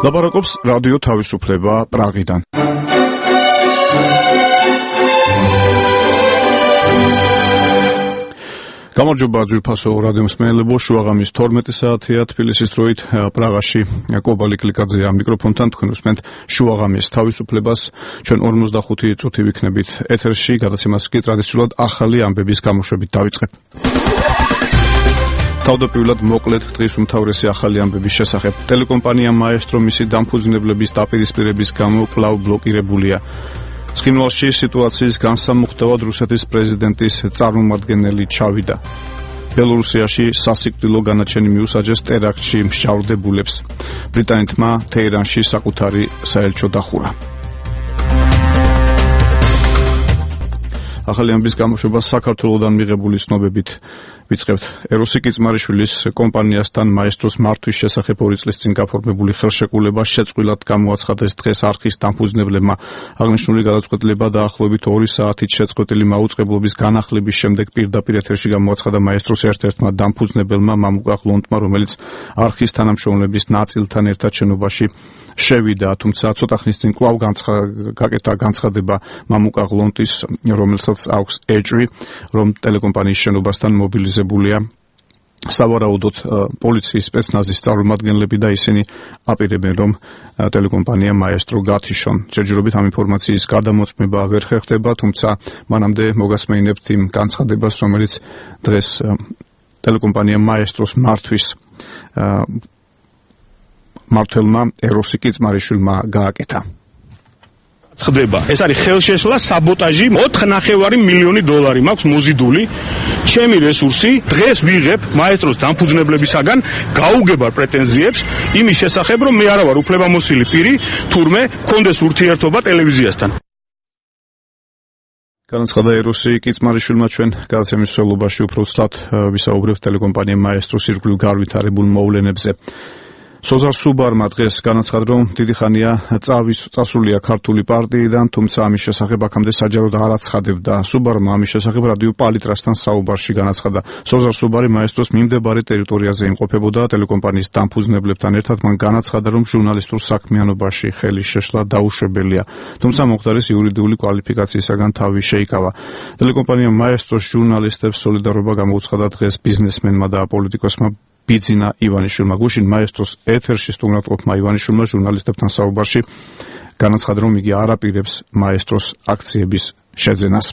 ლაპარაკობს რადიო თავისუფლება პრაღიდან. გამარჯობა ძვირფასო რადიო მსმენელებო, შუაღამის 12 საათია თბილისის დროით პრაღაში კობალი კლიკაძეა მიკროფონთან, თქვენ უსმენთ შუაღამის თავისუფლებას. ჩვენ 45 წუთი ვიქნებით ეთერში, გადაცემას კი ტრადიციულად ახალი ამბების გამოშვებით დავიწყებ. თავდაპირველად მოკლედ დღის უმთავრესი ახალი ამბების შესახებ. ტელეკომპანია მაესტრო მისი დამფუძნებლების დაპირისპირების გამო კვლავ ბლოკირებულია. ცხინვალში სიტუაციის განსამუხტავად რუსეთის პრეზიდენტის წარმომადგენელი ჩავიდა. ბელორუსიაში სასიკვდილო განაჩენი მიუსაჯეს ტერაქტში მსჯავრდებულებს. ბრიტანეთმა თეირანში საკუთარი საელჩო დახურა. ახალი ამბის გამოშვება საქართველოდან მიღებული ცნობებით ვიწყებთ. ეროსი კიწმარიშვილის კომპანიასთან მაესტროს მართვის შესახებ 2 წლის წინ გაფორმებული ხელშეკრულება შეწყვილად გამოაცხადეს დღეს არხის დამფუძნებლებმა. აღნიშნული გადაწყვეტილება დაახლოებით 2 საათით შეწყვეტილი მაუწყებლობის განახლების შემდეგ პირდაპირ ეთერში გამოაცხადა მაესტროს ერთ-ერთმა დამფუძნებელმა მამუკა ღლონტმა, რომელიც არხის თანამშრომლების ნაწილთან ერთად შენობაში შევიდა, თუმცა ცოტა ხნის წინ კვლავ გაკეთა განცხადება მამუკა ღლონტის, რომელსაც აქვს ეჭვი, რომ ტელეკომპანიის შენობასთან მობილიზებულია სავარაუდოდ პოლიციის სპეცნაზის წარმომადგენლები და ისინი აპირებენ, რომ ტელეკომპანია მაესტრო გათიშონ. ჯერჯერობით ამ ინფორმაციის გადამოწმება ვერ ხერხდება, თუმცა მანამდე მოგასმენინებთ იმ განცხადებას, რომელიც დღეს ტელეკომპანია მაესტროს მართვის მმართველმა ეროსი კიწმარიშვილმა გააკეთა. ხდება. ეს არის ხელშეშლა, საბოტაჟი, 4,5 მილიონი დოლარი მაქვს მოზიდული. ჩემი რესურსი დღეს ვიღებ მაესტროს დამფუძნებლებისაგან გაუგებარ პრეტენზიებს იმის შესახებ, რომ მე არა ვარ უფლებამოსილი პირი, თურმე კონდეს ურთიერთობა ტელევიზიასთან. განაცხადა ეროსი კიწმარიშვილმა. ჩვენ გადაცემის მსვლელობაში უფრო ცუდად ვისაუბრებთ ტელეკომპანია მაესტროს ირგვლივ განვითარებულ მოვლენებზე. სოზარ სუბარმა დღეს განაცხადა, რომ დიდი ხანია წასულია ქართული პარტიიდან, თუმცა ამის შესახებ აქამდე საჯაროდ არ აცხადებდა. სუბარმა ამის შესახებ რადიო პალიტრასთან საუბარში განაცხადა. სოზარ სუბარი მაესტროს მიმდებარე ტერიტორიაზე იმყოფებოდა ტელეკომპანიის დამფუძნებლებთან ერთად. მან განაცხადა, რომ ჟურნალისტურ საქმიანობაში ხელის შეშლა დაუშვებელია, თუმცა მომხდარის იურიდიული კვალიფიკაციისაგან თავი შეიკავა. ტელეკომპანია მაესტროს ჟურნალისტებს სოლიდარობა გამოუცხადა დღეს ბიზნესმენმა და პოლიტიკოსმა ბიძინა ივანიშვილმა. გუშინ მაესტროს ეთერში სტუმრობმა ივანიშვილმა ჟურნალისტებთან საუბარში განაცხადა, რომ იგი არ აპირებს მაესტროს აქციების შეძენას.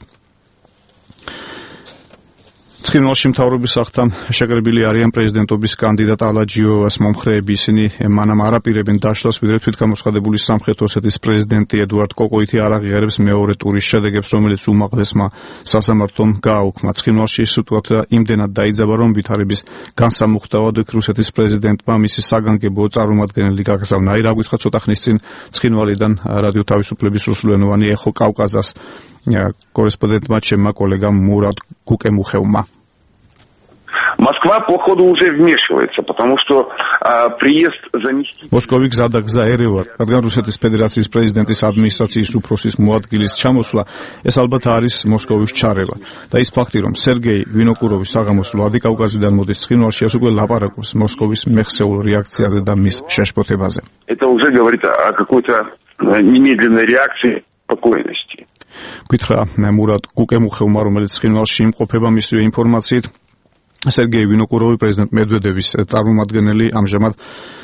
ცხინვალში მთავრობის აღთან შეკრებილი არიან პრეზიდენტობის კანდიდატ ალაჯიოვას მომხრეები. ისინი მანამ არ აპირებენ დაშლას, ვიდრე თვითგამოცხადებული სამხრეთ ოსეთის პრეზიდენტი ედუარდ კოკოიტი არ აღიარებს მეორე ტურის შედეგებს, რომელიც უმაღლესმა სასამართლომ გააუქმა. ცხინვალში სიტუაცია იმდენად დაიძაბა, რომ ვითარების განსამუხტავად რუსეთის პრეზიდენტმა მისი საგანგებო წარმომადგენელი გაგზავნა. აი რა გითხრა ცოტა ხნის წინ ცხინვალიდან რადიო თავისუფლების რუსულენოვანი ეხო კავკაზას корреспондентმა ჩემმა კოლეგამ მურად გუკემუხევმა. Москва, походу, уже вмешивается, потому что приезд заместителя... მოსკოვი გზადაგზა ერევარ, რადგან რუსეთის ფედერაციის პრეზიდენტის ადმინისტრაციის უფროსის მოადგილის ჩამოსვლა, ეს ალბათ არის მოსკოვის ჩარევა. და ის ფაქტი, რომ სერგეი ვინოკუროვის საღამოს ვლადიკავკაზიდან მოდის ცხინვალში, ეს უკვე ლაპარაკობს მოსკოვის მეხსეულ რეაქციაზე და მის შეშფოთებაზე. Это уже говорит о какой-то немедленной реакции спокойности. გითხრა მურად გუკემუხევმა, რომელიც ცხინვალში იმყოფება, მისივე ინფორმაციით სერგეი ვინოკუროვი პრეზიდენტ მედვედევის წარმომადგენელი ამჟამად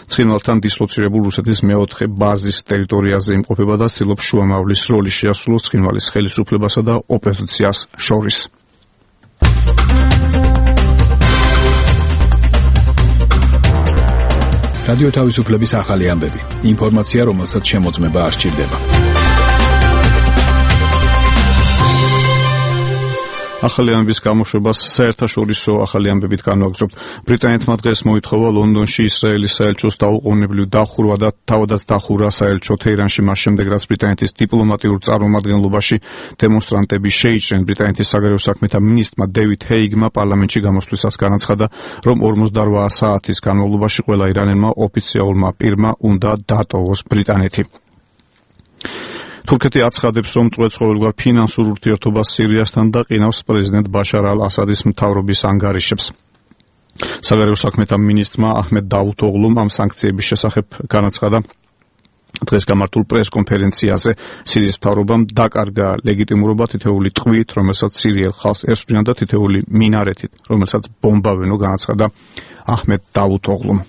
ცხინვალთან დისლოცირებულ რუსეთის მეოთხე ბაზის ტერიტორიაზე იმყოფება და ცდილობს შუამავლის როლი შეასრულოს ცხინვალის ხელისუფლებასა და ოპოზიციას შორის. რადიო თავისუფლების ახალი ამბები. ინფორმაცია, რომელსაც შემოწმება არ სჭირდება. ახალი ამბების გამოშვებას საერთაშორისო ახალი ამბებით განვაგრძობთ. ბრიტანეთმა დღეს მოითხოვა ლონდონში ისრაელის საელჩოს დაუყოვნებლივ დახურვა და თავადაც დახურა საელჩო თეირანში მას შემდეგ, რაც ბრიტანეთის დიპლომატიურ წარმომადგენლობაში დემონსტრანტები შეიჭრნენ. ბრიტანეთის საგარეო საქმეთა მინისტრმა დევიდ ჰეიგმა პარლამენტში გამოსვლისას განაცხადა, რომ 48 საათის განმავლობაში ყველა ირანელმა ოფიციალურმა პირმა უნდა დატოვოს ბრიტანეთი. თურქეთი აცხადებს, რომ წვეწხოველგვარ ფინანსურ ურთიერთობას სირიასთან და ყინავს პრეზიდენტ ბაშარ ალ-ასადის მთავრობის ანგარიშებს. საგარეო საქმეთა მინისტრმა აჰმედ დავუთოღლუმ ამ სანქციების შესახებ განაცხადა, დღეს გამართულ პრეს-კონფერენციაზე სირიის მთავრობამ დაკარგა ლეგიტიმურობა თითოეული ტყვით, რომელსაც სირიელ ხალხს ესწრებიან და თითოეული მინარეთით, რომელსაც ბომბავენ, განაცხადა აჰმედ დავუთოღლუმ.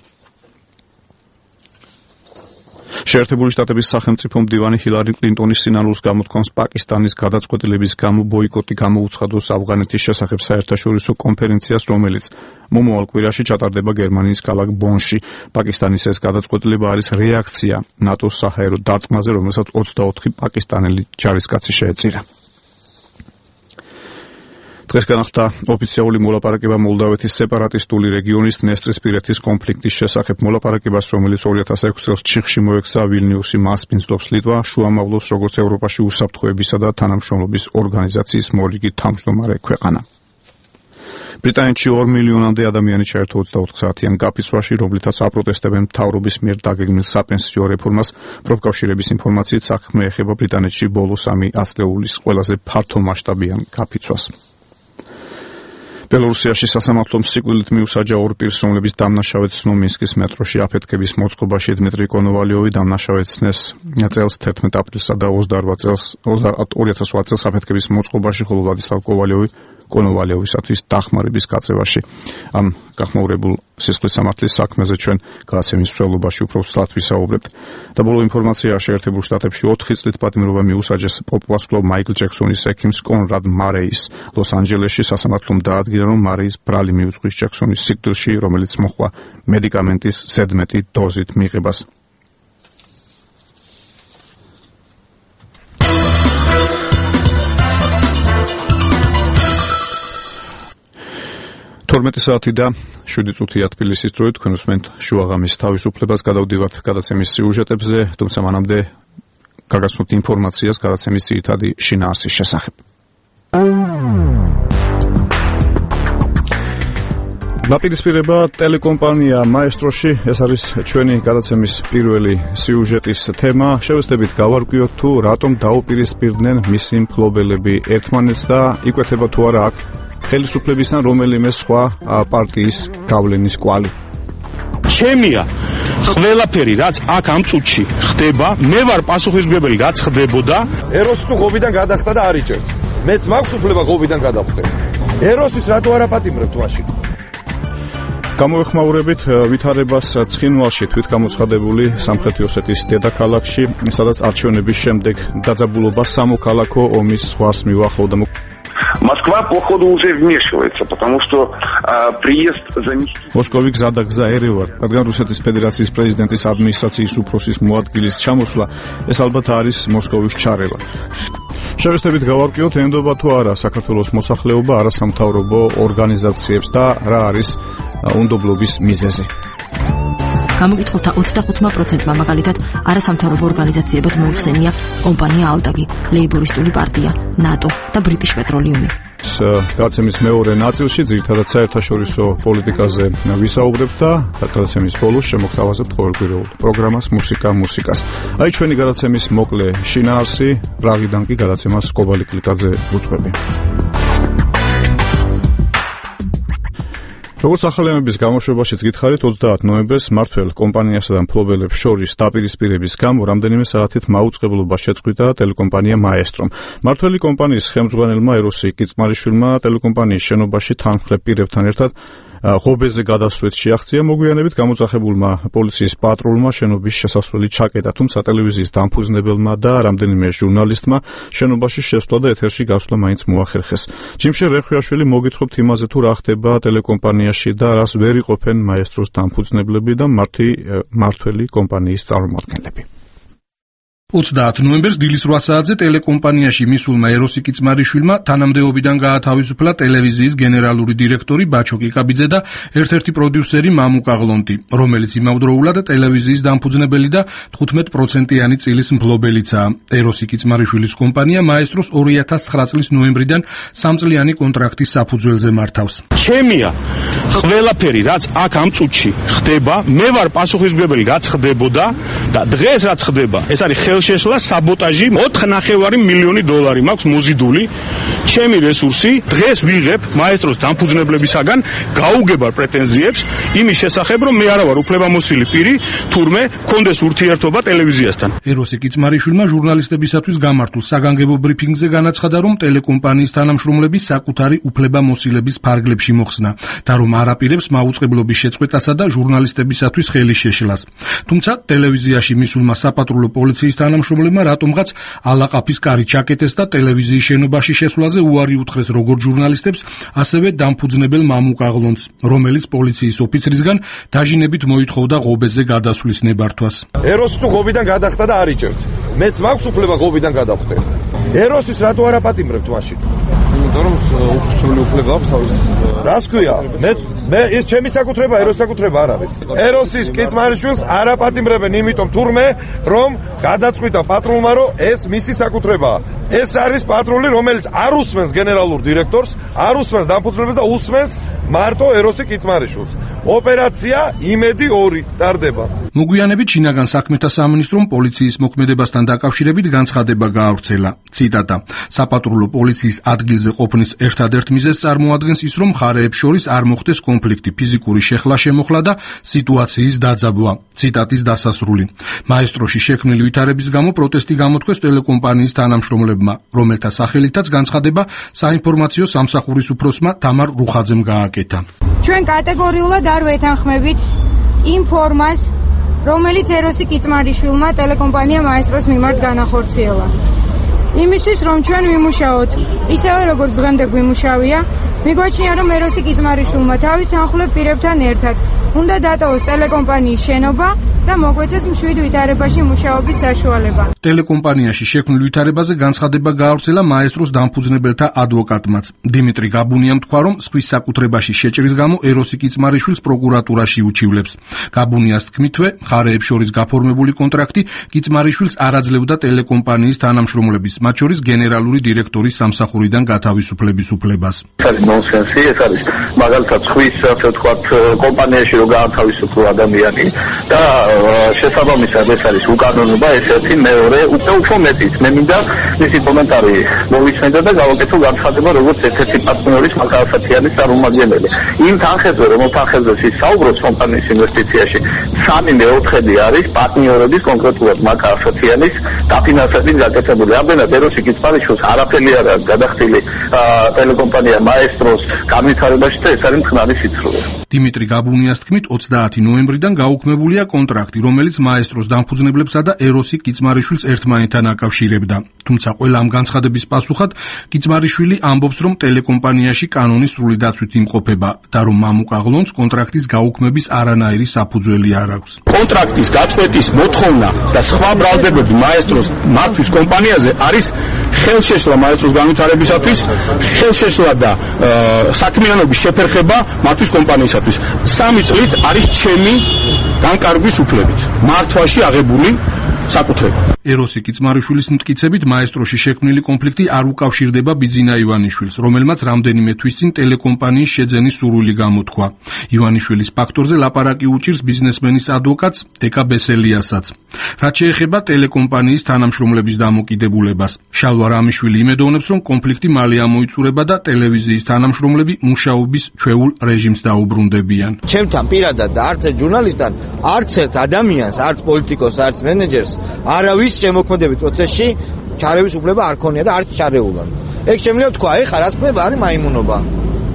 შეერთებული შტატების სახელმწიფო მდივანი ჰილარი კლინტონის სინანულს გამოთქვამს პაკისტანის გადაწყვეტილების გამო ბოიკოტი გამოუცხადოს ავღანეთის შესახებ საერთაშორისო კონფერენციას, რომელიც მომავალ კვირაში ჩატარდება გერმანიის ქალაქ ბონში. პაკისტანის ეს გადაწყვეტილება არის რეაქცია ნატოს საჰაერო დარტყმაზე, რომელსაც 24 პაკისტანელი ჯარისკაცი შეეწირა. დღეს განახდა ოფიციალური მოლაპარაკება მოლდავეთის სეპარატისტული რეგიონის დნესტრისპირეთის კონფლიქტის შესახებ. მოლაპარაკებას, რომელიც 2006 წელს ჩიხში მოექცა, ვილნიუსი მასპინძლობს ლიტვა, შუამავლობს როგორც ევროპაში უსაფრთხოებისა და თანამშრომლობის ორგანიზაციის მორიგი თავმჯდომარე ქვეყანა. ბრიტანეთში 2 მილიონამდე ადამიანი ჩაერთო 24 საათიან გაფიცვაში, რომლითაც აპროტესტებენ მთავრობის მიერ დაგეგმილ საპენსიო რეფორმას. პროფკავშირების ინფორმაციით საქმე ეხება ბრიტანეთში ბოლო 3 ათწლეულის ყველაზე ფართომასშტაბიან გაფიცვას. ბელორუსიაში სასამართლომ სიკვდილით მიუსაჯა 2 პირს, რომლებიც დამნაშავედ მინსკის მეტროში აფეთქების მოწყობაში. დმიტრი კონოვალიოვი დამნაშავედს წელს 11 აპრილსა და 2008 წელს აფეთქების მოწყობაში, ხოლო ვლადისლავ კონოვალიოვისათვის დახმარების გაწევაში. ამ გახმაურებულ სისხლის სამართლის საქმეზე ჩვენ გადაცემის მსვლელობაში უფრო ცუდად ვისაუბრებთ. და ბოლო ინფორმაცია, შეერთებულ შტატებში 4 წლით პატიმრობა მიუსაჯეს პოპ-ვარსკვლავ მაიკლ ჯექსონის ექიმს კონრად მარეის. ლოს-ანჯელესში სასამართლომ დაადგინა, რომ მარეის ბრალი მიუძღვის ჯექსონის სიკვდილში, რომელიც მოჰყვა მედიკამენტის ზედმეტი დოზით მიღებას. საათი და 7 წუთია თბილისის დროით. თქვენ უსმენთ შუაღამის თავისუფლებას. გადავდივართ გადაცემის სიუჟეტებზე, თუმცა მანამდე გაგაცნობთ ინფორმაციას გადაცემის ძირითადი შინაარსის შესახებ. დაპირისპირება ტელეკომპანია მაესტროში, ეს არის ჩვენი გადაცემის პირველი სიუჟეტის თემა. შევეცდებით გავარკვიოთ თუ რატომ დაუპირისპირდნენ მისი მფლობელები ერთმანეთს და იკვეთება თუ არა აქ ხელისუფლებისთან რომელიმე სხვა პარტიის გავლენის კვალი. ჩემია ყველაფერი რაც აქ ამ წუთში ხდება, მე ვარ პასუხისმგებელი რაც ხდებოდა. ეროსი თუ ღობიდან გადახტა და არიჭერთ. მეც მაქვს უფლება ღობიდან გადავხტე. ეროსის რატო არ აპატიმრებთ მაშინ? გამოეხმაურებით ვითარებას ცხინვალში, თვითგამოცხადებული სამხრეთი ოსეთის დედაქალაქში, სადაც არჩევნების შემდეგ დაძაბულობა სამოქალაქო ომის ზღვარს მივახლოვდა. Москва, походу, уже вмешивается, потому что приезд заместителя... მოსკოვი გზადაგზა ერევარ, რადგან რუსეთის ფედერაციის პრეზიდენტის ადმინისტრაციის უფროსის მოადგილის ჩამოსვლა, ეს ალბათ არის მოსკოვის ჩარევა. შევეცდებით გავარკვიოთ, ენდობა თუ არა საქართველოს მოსახლეობა არასამთავრობო ორგანიზაციებს და რა არის უნდობლობის მიზეზი. გამოკითხულთა 25%-მა მაგალითად არასამთავრობო ორგანიზაციებად მოიხსენია კომპანია ალტაგი, ლეიბორისტული პარტია, ნატო და ბრიტიშ პეტროლიუმი. გადაცემის მეორე ნაწილში ძირითადად საერთაშორისო პოლიტიკაზე ვისაუბრებთ და გადაცემის ბოლოს შემოგთავაზებთ ყოველკვირეულ პროგრამას მუსიკას. აი ჩვენი გადაცემის მოკლე შინაარსი, პრაღიდან კი გადაცემას კობალი კლიკაძე უძღვები. როგორც ახალიანების გამოშვებაშიც გითხარით, 30 ნოემბერს მმართველ კომპანიასა და მფლობელებს შორის დაპირისპირების გამო რამდენიმე საათით მაუწყებლობა შეწყვიტა ტელეკომპანია მაესტრომ. მმართველი კომპანიის ხელმძღვანელმა ეროსი კიწმარიშვილმა ტელეკომპანიის შენობაში თანმხლებ პირებთან ერთად ღობეზე გადასვლით შეაღწია. მოგვიანებით გამოძახებულმა პოლიციის პატრულმა შენობის შესასვლელი ჩაკეტა, თუმცა ტელევიზიის დამფუძნებელმა და რამდენიმე ჟურნალისტმა შენობაში შესვლა და ეთერში გასვლა მაინც მოახერხეს. ჯიმშე რეხვიაშვილი მოგითხრობთ იმაზე თუ რა ხდება ტელეკომპანიაში და რას ვერ იყოფენ მაესტროს დამფუძნებლები და მმართველი კომპანიის წარმომადგენლები. 30 ნოემბერს დილის 8 საათზე ტელეკომპანიაში მისულმა ეროსი კიწმარიშვილმა თანამდებობიდან გაათავისუფლა ტელევიზიის გენერალური დირექტორი ბაჩო კიკაბიძე და ერთ-ერთი პროდიუსერი მამუკა ღლონტი, რომელიც იმავდროულად ტელევიზიის დამფუძნებელი და 15%-იანი წილის მფლობელიცაა. ეროსი კიწმარიშვილის კომპანია მაესტროს 2009 წლის ნოემბრიდან 3-წლიანი კონტრაქტის საფუძველზე მართავს. ჩემია ყველაფერი რაც აქ ამ წუთში ხდება, მე ვარ პასუხისმგებელი რაც ხდებოდა და დღეს რაც ხდება, ეს არის ხელშეშლა, საბოტაჟი, 4.5 მილიონი დოლარი მაქვს მოზიდული. ჩემი რესურსი დღეს ვიღებ მაესტროს დამფუძნებლებისაგან გაუგებარ პრეტენზიებს იმის შესახებ, რომ მე არა ვარ უფლებამოსილი პირი, თურმე მქონდეს ურთიერთობა ტელევიზიასთან. ეროსი კიცმარიშვილმა ჟურნალისტებისათვის გამართულ საგანგებო ბრიფინგზე განაცხადა, რომ ტელეკომპანიის თანამშრომლები საკუთარი უფლებამოსილების ფარგლებში მოხსნა და რომ არაპირებს მაუწყებლობის შეწყვეტასა და ჟურნალისტებისათვის ხელის შეშლას. თუმცა ტელევიზიაში მისულმა საპატრულო პოლიციის თანამშრომლებმა რატომღაც ალაყაფის კარი ჩაკეტეს და ტელევიზიის შენობაში შესვლაზე უარი უთხრეს როგორც ჟურნალისტებს, ასევე დამფუძნებელ მამუკაღლონს, რომელიც პოლიციის ოფიცრისგან დაჟინებით მოითხოვდა ღობეზე გადასვლის ნებართვას. ეროსი თუ ღობიდან გადახტა და არ იჭერთ. მეც მაქვს უფლება ღობიდან გადავხტე. ეროსის რატო არ აპატიმრებთ მაშინ? იმიტომ რომ ოფიციალური უფლება აქვს თავის. რას ქვია? მე ეს ჩემი საკუთრება, ეროსის საკუთრება არ არის. ეროსის კიცმარიშვილს არ აპატიმრებენ, იმიტომ თურმე რომ გადაწყვიტა პატრულმა, რომ ეს მისი საკუთრებაა. ეს არის პატრული, რომელიც არ უსმენს გენერალურ დირექტორს, არ უსმენს დამფუძნებელს და უსმენს მარტო ეროსი კიცმარიშვილს. ოპერაცია იმედი 2 ტარდება. მოგვიანებით შინაგან საქმეთა სამინისტრომ პოლიციის მოქმედებასთან დაკავშირებით განცხადება გაავრცელა. ციტატა: საპატრულო პოლიციის ადგილზე ყოფნის ერთადერთ მიზეზს წარმოადგენს ის, რომ მხარეებს შორის არ მოხდეს კონფლიქტი, ფიზიკური შეხლა-შემოხლა და სიტუაციის დაძაბვა. ციტატის დასასრული. მაესტროში შექმნილი ვითარების გამო პროტესტი გამოთქვეს ტელეკომპანიის თანამშრომლებმა, რომელთა სახელითაც განცხადება საინფორმაციო სამსახურის უფროსმა თამარ რუხაძემ გააკეთა. ჩვენ კატეგორიულად არ ვეთანხმებით იმ ფორმას, რომელიც ეროსი კიცმარიშვილმა ტელეკომპანია მაესტროს მიმართ განახორციელა. იმისთვის რომ ჩვენ ვიმუშაოთ, ისევე როგორც დღემდე გვიმუშავია, მიგვაჩნია რომ ეროსი კიცმარიშვილმა თავის თანხმლებ პირებთან ერთად უნდა დატოვოს ტელეკომპანიის შენობა და მოგვეცეს მშვიდ ვითარებაში მუშაობის საშუალება. ტელეკომპანიაში შექმნილ ვითარებაზე განცხადება გაავრცელა მაესტროს დამფუძნებელთა ადვოკატმაც. დიმიტრი გაბუნიამ თქვა, რომ სხვის საკუთრებაში შეჭრის გამო ეროსი კიცმარიშვილს პროკურატურაში უჩივლებს. გაბუნიას თქმითვე, მხარეებს შორის გაფორმებული კონტრაქტი კიცმარიშვილს არ აძლევდა ტელეკომპანიის თანამშრომლების, მათ შორის გენერალური დირექტორის სამსახურიდან გათავისუფლების უფლებას. ეს არის ნონსენსი, ეს არის მაგალითად ხვის, ასე ვთქვათ, კომპანიაში რომ გაათავისუფლო ადამიანი და შესაბამისად ეს არის უკანონობა, ესეთი მეორე, უფრო მეტიც. მე მინდა მისი კომენტარი მოვიცნე და გავაკეთო განცხადება როგორც ერთ-ერთი პარტნიორის მაკალსათიანის წარმომადგენელი. იმ თანხებზე, რომელ თანხებზე ის საუბრობს კომპანიის ინვესტიციაში, 3/4 არის პარტნიორების, კონკრეტულად მაკალსათიანის დაფინანსებით გაკეთებული. ამდენად ეროსი კიცმარიშვილს არაფერი არ აქვს გადახდილი ტელეკომპანია მაესტროს განვითარებაში და ეს არის მტკნარი სიცრუე. დიმიტრი გაბუნიას თქმით, 30 ნოემბრიდან გაუქმებულია კონტრაქტი, რომელიც მაესტროს დამფუძნებლებსა და ეროსი კიცმარიშვილს ერთმანეთთან აკავშირებდა. თუმცა ყველა ამ განცხადების პასუხად კიცმარიშვილი ამბობს, რომ ტელეკომპანიაში კანონის სრული დაცვით იმყოფება და რომ მამუკაღლონს კონტრაქტის გაუქმების არანაირი საფუძველი არ აქვს. კონტრაქტის გაწყვეტის მოთხოვნა და სხვა ბრალდებები მაესტროს მართვის კომპანიაზე არის ხელშეშლა მაესტროს განვითარებისათვის, ხელშეშლა და საქმიანობის შეფერხება მართვის კომპანიისათვის. 3 წლით არის ჩემი განკარგვის უფლებით მართვაში აღებული საკუთრება. ეროსი კიცმარიშვილის მტკიცებით, მაესტროში შექმნილი კონფლიქტი არ უკავშირდება ბიძინა ივანიშვილს, რომელმაც რამდენიმე თვის წინ ტელეკომპანიის შეძენის სურვილი გამოთქვა. ივანიშვილის ფაქტორზე ლაპარაკი უჭირს ბიზნესმენის ადვოკატს ეკა ბესელიასაც. რაც შეეხება ტელეკომპანიის თანამშრომლების დამოკიდებულებას, შალვა რამიშვილი იმედოვნებს, რომ კონფლიქტი მალე ამოიწურება და ტელევიზიის თანამშრომლები მუშაობის ჩვეულ რეჟიმს დაუბრუნდებიან. ჩემთან პირადად და არც ერთ ჟურნალისტთან, არც ერთ ადამიანს, არც პოლიტიკოსს, არც მენეჯერს არავის შემოქმედებით პროცესში ჩარევის უფლება არ ქონია და არც ჩარეულან. ეგ შემიძლია თქვა, ეხლა რაც ხდება არის მაიმუნობა,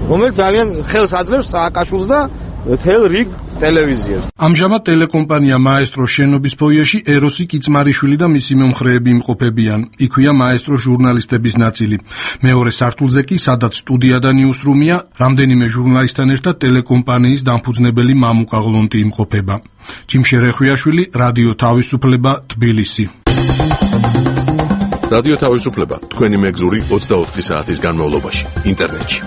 რომელიც ძალიან ხელს აძლევს სააკაშვილს და თელ რიგ ტელევიზიას. ამჟამად ტელეკომპანია მაესტროს შენობის ფოიეში ეროსი კიცმარიშვილი და მისი მომხრეები იმყოფებიან. იქვეა მაესტროს ჟურნალისტების ნაწილი. მეორე სართულზე კი, სადაც სტუდია და ნიუსრუმია, რამდენიმე ჟურნალისტთან ერთად ტელეკომპანიის დამფუძნებელი მამუკაღლონტი იმყოფება. ჯიმშე რეხვიაშვილი, რადიო თავისუფლება, თბილისი. რადიო თავისუფლება, თქვენი მეგზური 24 საათის განმავლობაში, ინტერნეტში.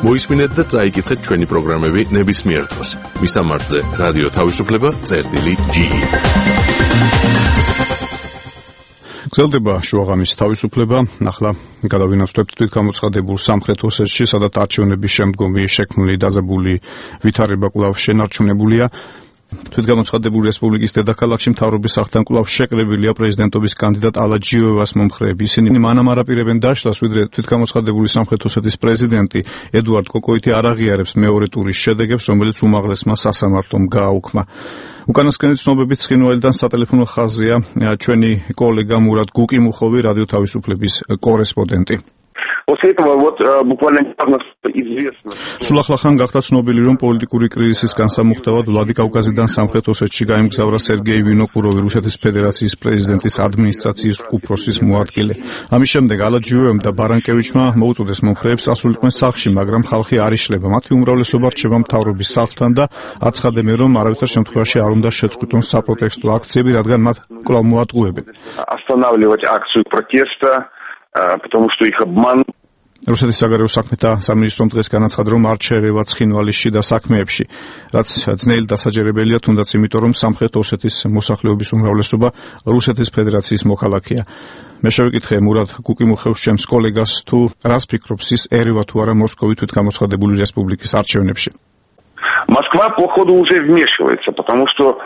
მოისმინეთ და წაიკითხეთ ჩვენი პროგრამები ნებისმიერ დროს. მისამართზე რადიო თავისუფლება.ge. გრძელდება შუაღამის თავისუფლება. ახლა გადავინაცვლებთ თვითგამოცხადებულ სამხრეთ ოსეთში, სადაც არჩევნების შემდგომი შექმნილი დაძაბული ვითარება კვლავ შენარჩუნებულია. თვითგამოცხადებული რესპუბლიკის დედაქალაქში მთავრობის სახლთან კვლავ შეკრებილია პრეზიდენტობის კანდიდატ ალაჯიევას მომხრეები. ისინი მანამ არ აპირებენ დაშლას, ვიდრე თვითგამოცხადებული სამხრეთ ოსეთის პრეზიდენტი ედუარდ კოკოიტი არ აღიარებს მეორე ტურის შედეგებს, რომელიც უმაღლესმა სასამართლომ გააუქმა. უკანასკნელი ცნობებით ცხინვალიდან სატელეფონო ხაზია ჩვენი კოლეგა მურად გუკიმუხოვი, რადიო თავისუფლების კორესპონდენტი. После этого вот буквально недавно известно. სულ ახლახან გახდა ცნობილი, რომ პოლიტიკური კრიზისის განსამუხტებლად ვლადიკავკაზიდან სამხრეთ ოსეთში გაემგზავრა სერგეი ვინოკუროვი, რუსეთის ფედერაციის პრეზიდენტის ადმინისტრაციის უფროსის მოადგილე. ამის შემდეგ ალაჯიევამ და ბარანკევიჩმა მოუწოდეს მომხრეებს წასულიყვნენ სახლში, მაგრამ ხალხი არ იშლება. მათი უმრავლესობა რჩება მთავრობის სახლთან და აცხადებენ, რომ არავითარ შემთხვევაში არ უნდა შეწყვიტონ საპროტესტო აქციები, რადგან მათ კვლავ მოატყუებენ. Останавливать акцию протеста, потому что их обман. რუსეთის საგარეო საქმეთა სამინისტრომ დღეს განაცხადა, რომ არ ჩაერევა ცხინვალის შიდა საქმეებში, რაც ძნელი დასაჯერებელია, თუნდაც იმიტომ, რომ სამხრეთ ოსეთის მოსახლეობის უმრავლესობა რუსეთის ფედერაციის მოქალაქეა. მე შევიკითხე მურად გუკიმუხევს ჩემს კოლეგას, თუ რას ფიქრობს ის ერევა თუ არა მოსკოვი თვითგამოცხადებული რესპუბლიკის არჩევნებში. Москва, походу, уже вмешивается, потому что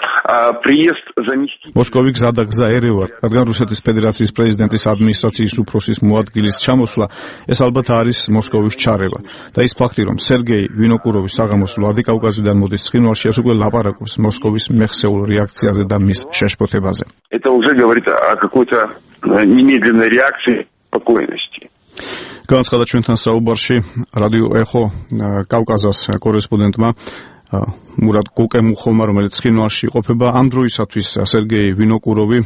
приезд заместителя... მოსკოვი გზადაგზა ერევა, რადგან რუსეთის ფედერაციის პრეზიდენტის ადმინისტრაციის უფროსის მოადგილის ჩამოსვლა, ეს ალბათ არის მოსკოვის ჩარევა. და ის ფაქტი, რომ სერგეი ვინოკუროვის საღამოს ვლადიკავკაზიდან მოდის ცხინვალში, ეს უკვე ლაპარაკობს მოსკოვის მეხსეულ რეაქციაზე და მის შეშფოთებაზე. Это уже говорит о какой-то немедленной реакции спокойности. განაცხადა ჩვენთან საუბარში რადიო ეხო კავკაზას კორესპონდენტმა მურად გუკემუხოვმა, რომელიც ცხინვალში იყოფება. ამ დროისათვის სერგეი ვინოკუროვი,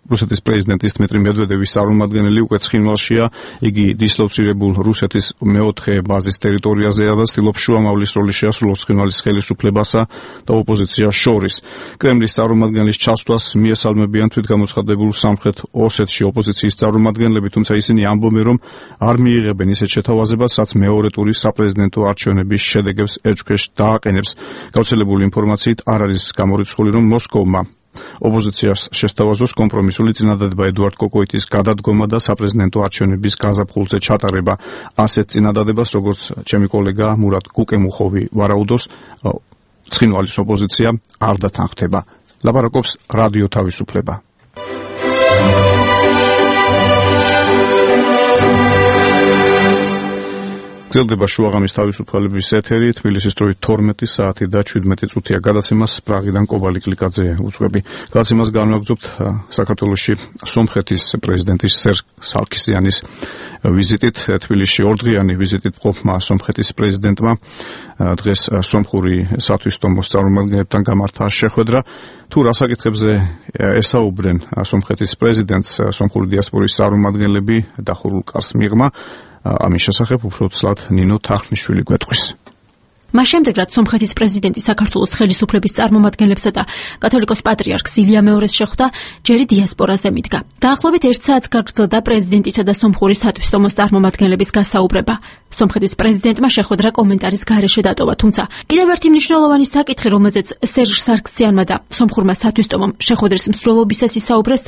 რუსეთის პრეზიდენტის დმიტრი მედვედევის წარმომადგენელი, უკვე ცხინვალშია. იგი დისლოცირებულ რუსეთის მეოთხე ბაზის ტერიტორიაზეა და ცდილობს შუამავლის როლი შეასრულოს ცხინვალის ხელისუფლებასა და ოპოზიციას შორის. კრემლის წარმომადგენლის ჩასვლას მიესალმებიან თვითგამოცხადებულ სამხრეთ ოსეთში ოპოზიციის წარმომადგენლები, თუმცა ისინი ამბობენ, რომ არ მიიღებენ ისეთ შეთავაზებას, რაც მეორე ტურის საპრეზიდენტო არჩევნების შედეგებს ეჭქვეშ დააყენებს. გავრცელებული ინფორმაციით არ არის გამორიცხული, რომ მოსკოვმა ოპოზიციას შესთავაზოს კომპრომისული წინადადება ედუარდ კოკოიტის გადადგომა და საპრეზიდენტო არჩევნების გაზაფხულზე ჩატარება. ასეთ წინადადებას, როგორც ჩემი კოლეგა მურად გუკემუხოვი ვარაუდობს, ცხინვალის ოპოზიცია არ დათანხმდება. ლაპარაკობს რადიო თავისუფლება. გრძელდება შუაღამის თავისუფლების ეთერი, თბილისის დროით 12 საათი და 17 წუთია გადაცემას პრაღიდან კობალი კლიკაძე უძღვები. გადაცემას განვაგრძობთ საქართველოში სომხეთის პრეზიდენტის სერჟ სარქისიანის ვიზიტით. თბილისში ორდღიანი ვიზიტით მყოფმა სომხეთის პრეზიდენტმა დღეს სომხური სათვისტომოს წარმომადგენლებთან გამართა შეხვედრა. თუ რა საკითხებზე ესაუბრენ სომხეთის პრეზიდენტს სომხური დიასპორის წარმომადგენლები დახურულ კარს მიღმა, ამის შესახებ უფრო ცლად ნინო თახნიშვილი გვეტყვის. მას შემდეგ, რაც სომხეთის პრეზიდენტი საქართველოს ხელისუფლების წარმომადგენლებსა და კათოლიკოს პატრიარქს ილია მეორეს შეხვდა, ჯერი დიასპორაზე მიდგა. დაახლოებით 1 საათს გაგრძელდა პრეზიდენტისა და სომხური სათვისტომოს წარმომადგენლების გასაუბრება. სომხეთის პრეზიდენტმა შეხვედრა კომენტარის გარეშე დატოვა, თუმცა კიდევ ერთი მნიშვნელოვანი საკითხი, რომელზეც სერჟ სარქისიანმა და სომხურმა სათვისტომომ შეხვედრის მსვლელობისას ისაუბრეს,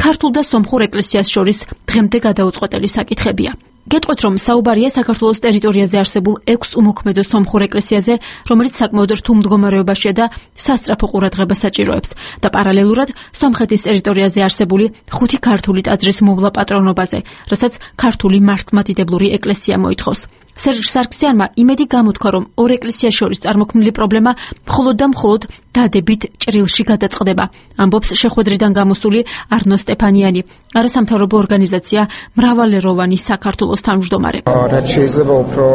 ქართულ და სომხურ ეკლესიას შორის დღემდე გადაუწყვეტელი საკითხებია. გეტყვით, რომ საუბარია საქართველოს ტერიტორიაზე არსებულ 6 უმოქმედო სომხურ ეკლესიაზე, რომელიც საკმაოდ რთულ მდგომარეობაშია და სასწრაფო ყურადღებას საჭიროებს და პარალელურად სომხეთის ტერიტორიაზე არსებული 5 ქართული ტაძრის მოვლა პატრონობაზე, რასაც ქართული მართლმადიდებლური ეკლესია მოითხოვს. სერჟ სარქისიანმა იმედი გამოთქვა, რომ ორ ეკლესიას შორის წარმოქმნილი პრობლემა მხოლოდ და მხოლოდ დადებით ჭრილში გადაწყდება. ამბობს შეხვედრიდან გამოსული არნო სტეფანიანი, არასამთავრობო ორგანიზაცია მრავალეროვანი საქართველოს თავმჯდომარე. რაც შეიძლება უფრო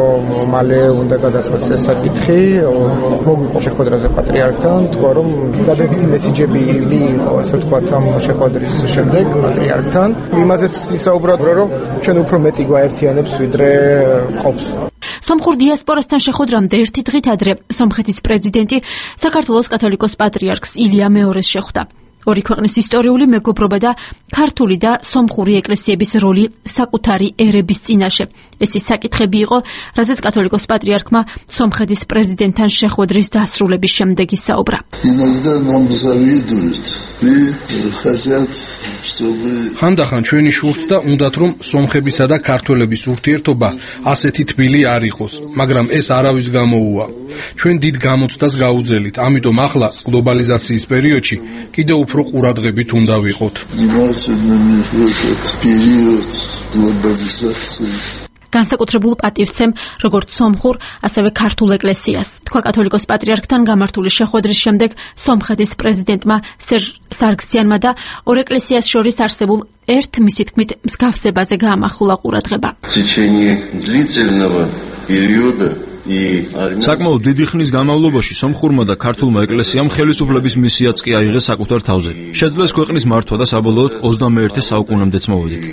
მალე უნდა გადაწყდეს ეს საკითხი, მოგვიყო შეხვედრაზე პატრიარქთან, თქვა რომ დადებითი მესიჯები იყო, ასე ვთქვათ, ამ შეხვედრის შემდეგ პატრიარქთან. იმაზეც ისაუბრა, რომ ჩვენ უფრო მეტი გვაერთიანებს, ვიდრე ყოფს. სომხურ დიასპორასთან შეხვედრამდე ერთი დღით ადრე სომხეთის პრეზიდენტი საქართველოს კათოლიკოს პატრიარქს ილია მეორეს შეხვდა. ორი ქვეყნის ისტორიული მეგობრობა და ქართული და სომხური ეკლესიების როლი საკუთარი ერების წინაშე. ეს ის საკითხები იყო, რაზეც კათოლიკოს პატრიარქმა სომხეთის პრეზიდენტთან შეხვედრის დასრულების შემდეგ ისაუბრა. ხანდახან ჩვენი შურთდა უნდათ, რომ სომხებისა და ქართველების ურთიერთობა ასეთი თბილი არ იყოს, მაგრამ ეს არავის გამოუვა. ჩვენ დიდ გამოცდას გაუძელით. ამიტომ ახლა გლობალიზაციის პერიოდში კიდევ უფრო ყურადღებით უნდა ვიყოთ. განსაკუთრებულ პატივცემ როგორც სომხურ, ასევე ქართულ ეკლესიას. თქვა კათოლიკოს პატრიარქთან გამართული შეხვედრის შემდეგ სომხეთის პრეზიდენტმა სერჟ სარგსიანმა და ორ ეკლესიას შორის არსებულ ერთ მისი თქმით მსგავსებაზე გაამახვილა ყურადღება. საკმაოდ დიდი ხნის განმავლობაში სომხურმა და ქართულმა ეკლესიამ ხელისუფლების მისიაც კი აიღეს საკუთარ თავზე. შეძლეს ქვეყნის მართვა და საბოლოოდ 21 საუკუნემდეც მოვედით.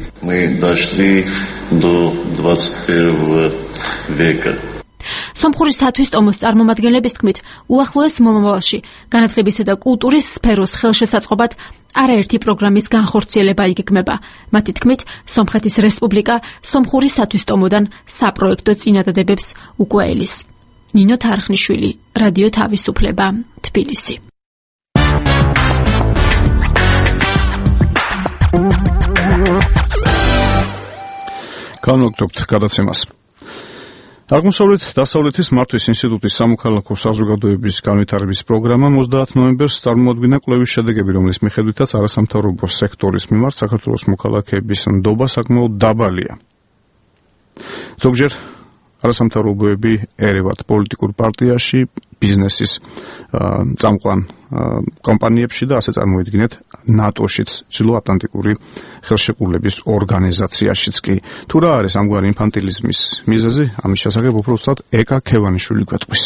სომხურისათვის ტომოს წარმომადგენლების თქმით, უახლოეს მომავალში განათლებისა და კულტურის სფეროს ხელშესაწყობად არაერთი პროგრამის განხორციელება იგეგმება. მათი თქმით, სომხეთის რესპუბლიკა სომხურისათვის ტომოდან საპროექტო წინადადებებს უკვე ელის. ნინო თარხნიშვილი, რადიო თავისუფლება, თბილისი. განვაგრძობთ გადაცემას. აღმოსავლეთ-დასავლეთის მართვის ინსტიტუტის სამოქალაქო საზოგადოების განვითარების პროგრამა 30 ნოემბერს წარმოადგინა კვლევის შედეგები, რომლის მიხედვითაც არასამთავრობო სექტორის მიმართ საქართველოს მოქალაქეების ნდობა საკმაოდ დაბალია. ზოგჯერ არასამთავრობოები ერევათ პოლიტიკურ პარტიაში, ბიზნესის წამყვან კომპანიებში და ასე წარმოიდგინეთ ნატოშიც, ჩრდილოატლანტიკური ხელშეკრულების ორგანიზაციაშიც კი. თუ რა არის ამგვარი ინფანტილიზმის მიზეზი, ამის შესახებ უბრალოდ ეკა ქევანიშვილი გვეტყვის.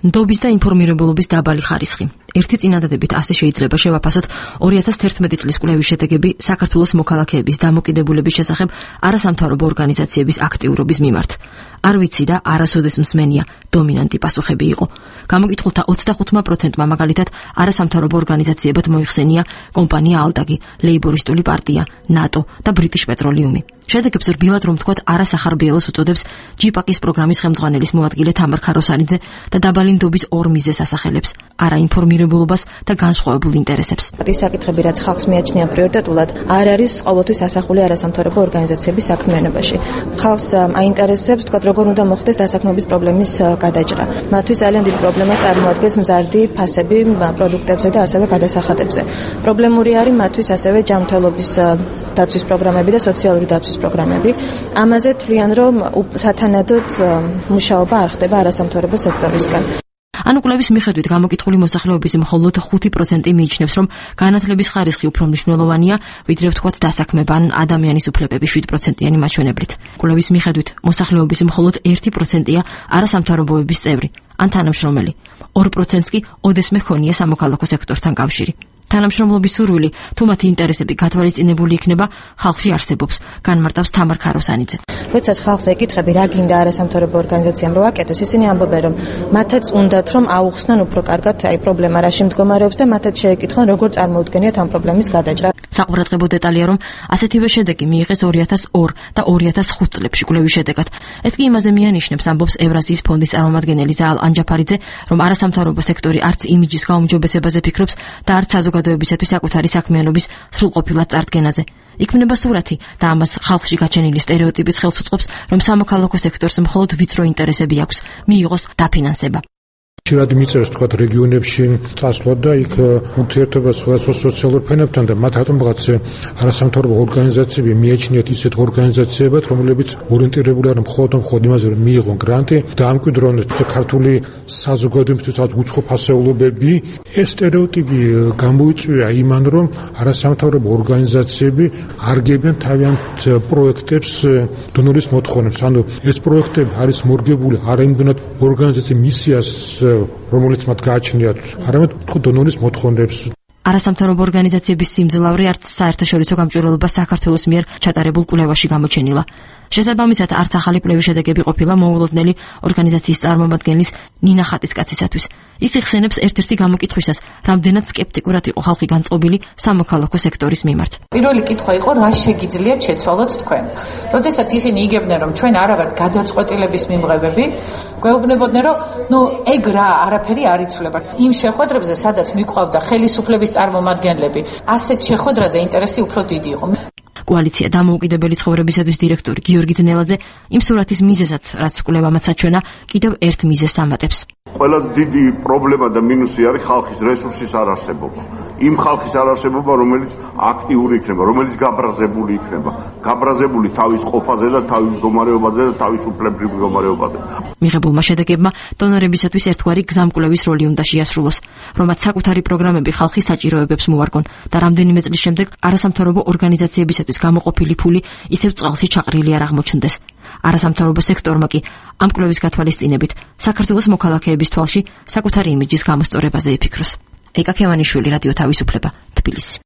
ნდობის და ინფორმირებულობის დაბალი ხარისხი. ერთი წინადადებით ასე შეიძლება შევაფასოთ 2011 წლის კვლევის შედეგები საქართველოს მოქალაქეების დამოკიდებულების შესახებ არასამთავრობო ორგანიზაციების აქტიურობის მიმართ. არ ვიცი და არასოდეს მსმენია დომინანტი პასუხები იყო. გამოკითხულთა 25%-მა მაგალითად არასამთავრობო ორგანიზაციებად მოიხსენია კომპანია ალტაგი, ლეიბორისტული პარტია, ნატო და ბრიტიშ პეტროლიუმი. შედეგებს რბილად რომ თქვათ არასახარბიელოს უწოდებს ჯიპაკის პროგრამის ხელმძღვანელის მოადგილე თამარ ქაროსარიძე და დაბალი ნდობის ორ მიზეზს ასახელებს: არაინფორმირებულობას და განსხვავებულ ინტერესებს. ის საკითხები, რაც ხალხს მიაჩნია პრიორიტეტულად, არ არის ყოველთვის ასახული არასამთავრობო ორგანიზაციების საქმიანობაში. ხალხს აინტერესებს, თქვათ, როგორ უნდა მოხდეს დასაქმების პრობლემის გადაჭრა. მათთვის ძალიან დიდი პრობლემა წარმოადგენს მზარდი ფასები პროდუქტებზე და ასევე გადასახადებზე. პრობლემური არის მათთვის ასევე ჯანმრთელობის დაცვის პროგრამები და სოციალური დაცვის პროგრამები. ამაზე თვლიან, რომ სათანადოდ მუშაობა არ ხდება არასამთავრობო სექტორისგან. ანუ კვლევის მიხედვით გამოკითხული მოსახლეობის მხოლოდ 5% მიიჩნევს, რომ განათლების ხარისხი უფრო მნიშვნელოვანია, ვიდრე ვთქვათ დასაქმება ან ადამიანის უფლებები 7%-იანი მაჩვენებლით. კვლევის მიხედვით მოსახლეობის მხოლოდ 1%-ია არასამთავრობოების წევრი ან თანამშრომელი. 2%-ს კი ოდესმე ჰქონია სამოქალაქო სექტორთან კავშირი. თანამშრომლობის სურვილი, თუ მათი ინტერესები გათვალისწინებული იქნება, ხალხში არსებობს, განმარტავს თამარ ქაროსანიძე. როდესაც ხალხს ეკითხები, რა გინდა არასამთავრობო ორგანიზაციამ რო აკეთოს, ისინი ამბობენ, რომ მათაც უნდათ რომ აუხსნან უფრო კარგად პრობლემა რაში მდგომარეობს და მათაც შეეკითხონ, როგორ წარმოუდგენიათ ამ პრობლემის გადაჭრა. საყურადღებო დეტალია, რომ ასეთივე შედეგი მიიღეს 2002 და 2005 წლებში კვლევის შედეგად. ეს კი იმაზე მიანიშნებს, ამბობს ევრაზიის ფონდის წარმომადგენელი ზაალ ანჯაფარიძე, რომ არასამთავრობო სექტორი არც იმიჯის გაუმჯობესებაზე ფიქრობს და არც საზოგადოებისათვის საკუთარი საქმიანობის სრულყოფილად წარდგენაზე. იქმნება სურათი და ამას ხალხში გაჩენილი სტერეოტიპის ხელს უწყობს, რომ სამოქალაქო სექტორს მხოლოდ ვიწრო ინტერესები აქვს, მიიღოს დაფინანსება. ხშირად მიწევს თქვათ რეგიონებში წასვლა და იქ ურთიერთობა სხვადასხვა სოციალურ ფენებთან და მათ რატომღაც არასამთავრობო ორგანიზაციები მიაჩნიათ ისეთ ორგანიზაციებად, რომლებიც ორიენტირებული არიან მხოლოდ იმაზე, რომ მიიღონ გრანტი და ამკვიდრონ ქართული საზოგადოებისთვის უცხო ფასეულობები. ეს სტერეოტიპი გამოიწვია იმან, რომ არასამთავრობო ორგანიზაციები არ გებიან თავიანთ პროექტებს დონორის მოთხოვნებს. ანუ ეს პროექტები არის მორგებული არა იმდენად ორგანიზაციის მისიას, რომელიც მათ გააჩნიათ, არამედ დონორის მოთხოვნებს. არასამთავრობო ორგანიზაციების სიმძლავრე არც საერთაშორისო გამჭვირვალობა საქართველოს მიერ ჩატარებულ კვლევაში გამოჩენილა. შესაბამისად, არც ახალი კვლევის შედეგები ყოფილა მოულოდნელი ორგანიზაციის წარმომადგენლის ნინა ხატისკაცისათვის. ის იხსენებს ერთ-ერთი გამოკითხვისას, რამდენად სკეპტიკურად იყო ხალხი განწყობილი სამოქალაქო სექტორის მიმართ. პირველი კითხვა იყო, რა შეგიძლიათ შეცვალოთ თქვენ? როდესაც ისინი იგებდნენ, რომ ჩვენ არა ვართ გადაწყვეტილების მიმღებები, გვეუბნებოდნენ, რომ ეგ რა, არაფერი არ იცვლება. იმ შეხვედრებზე, სადაც მიყვავდა ხელისუფლების წარმომადგენლები, ასეთ შეხვედრაზე ინტერესი უფრო დიდი იყო. კოალიცია დამოუკიდებელი ცხოვრებისათვის დირექტორი გიორგი ძნელაძე იმ სურათის მიზეზად, რაც კვლევამაც საჩვენა, კიდევ ერთ მიზეზს ამატებს. ყველაზე დიდი პრობლემა და მინუსი არის ხალხის რესურსის არარსებობა. იმ ხალხის არარსებობა, რომელიც აქტიური იქნება, რომელიც გაბრაზებული იქნება, გაბრაზებული თავის ყოფაზე და თავის მდგომარეობაზე და თავისუფლებრივ მდგომარეობაზე. მიღებულმა შედეგებმა დონორებისათვის ერთგვარი გზამკვლევის როლი უნდა შეასრულოს, რომაც საკუთარი პროგრამები ხალხის საჭიროებებს მოარგონ და რამდენიმე წლის შემდეგ არასამთავრობო ორგანიზაციებისათვის გამოყოფილი ფული ისევ წყალში ჩაყრილი არ აღმოჩნდეს. არასამთავრობო სექტორმა კი ამ კვლევის გათვალისწინებით საქართველოს მოქალაქეების თვალში საკუთარი იმიჯის გამოსწორებაზე იფიქროს. ეკა ქევანიშვილი, რადიო თავისუფლება, თბილისი.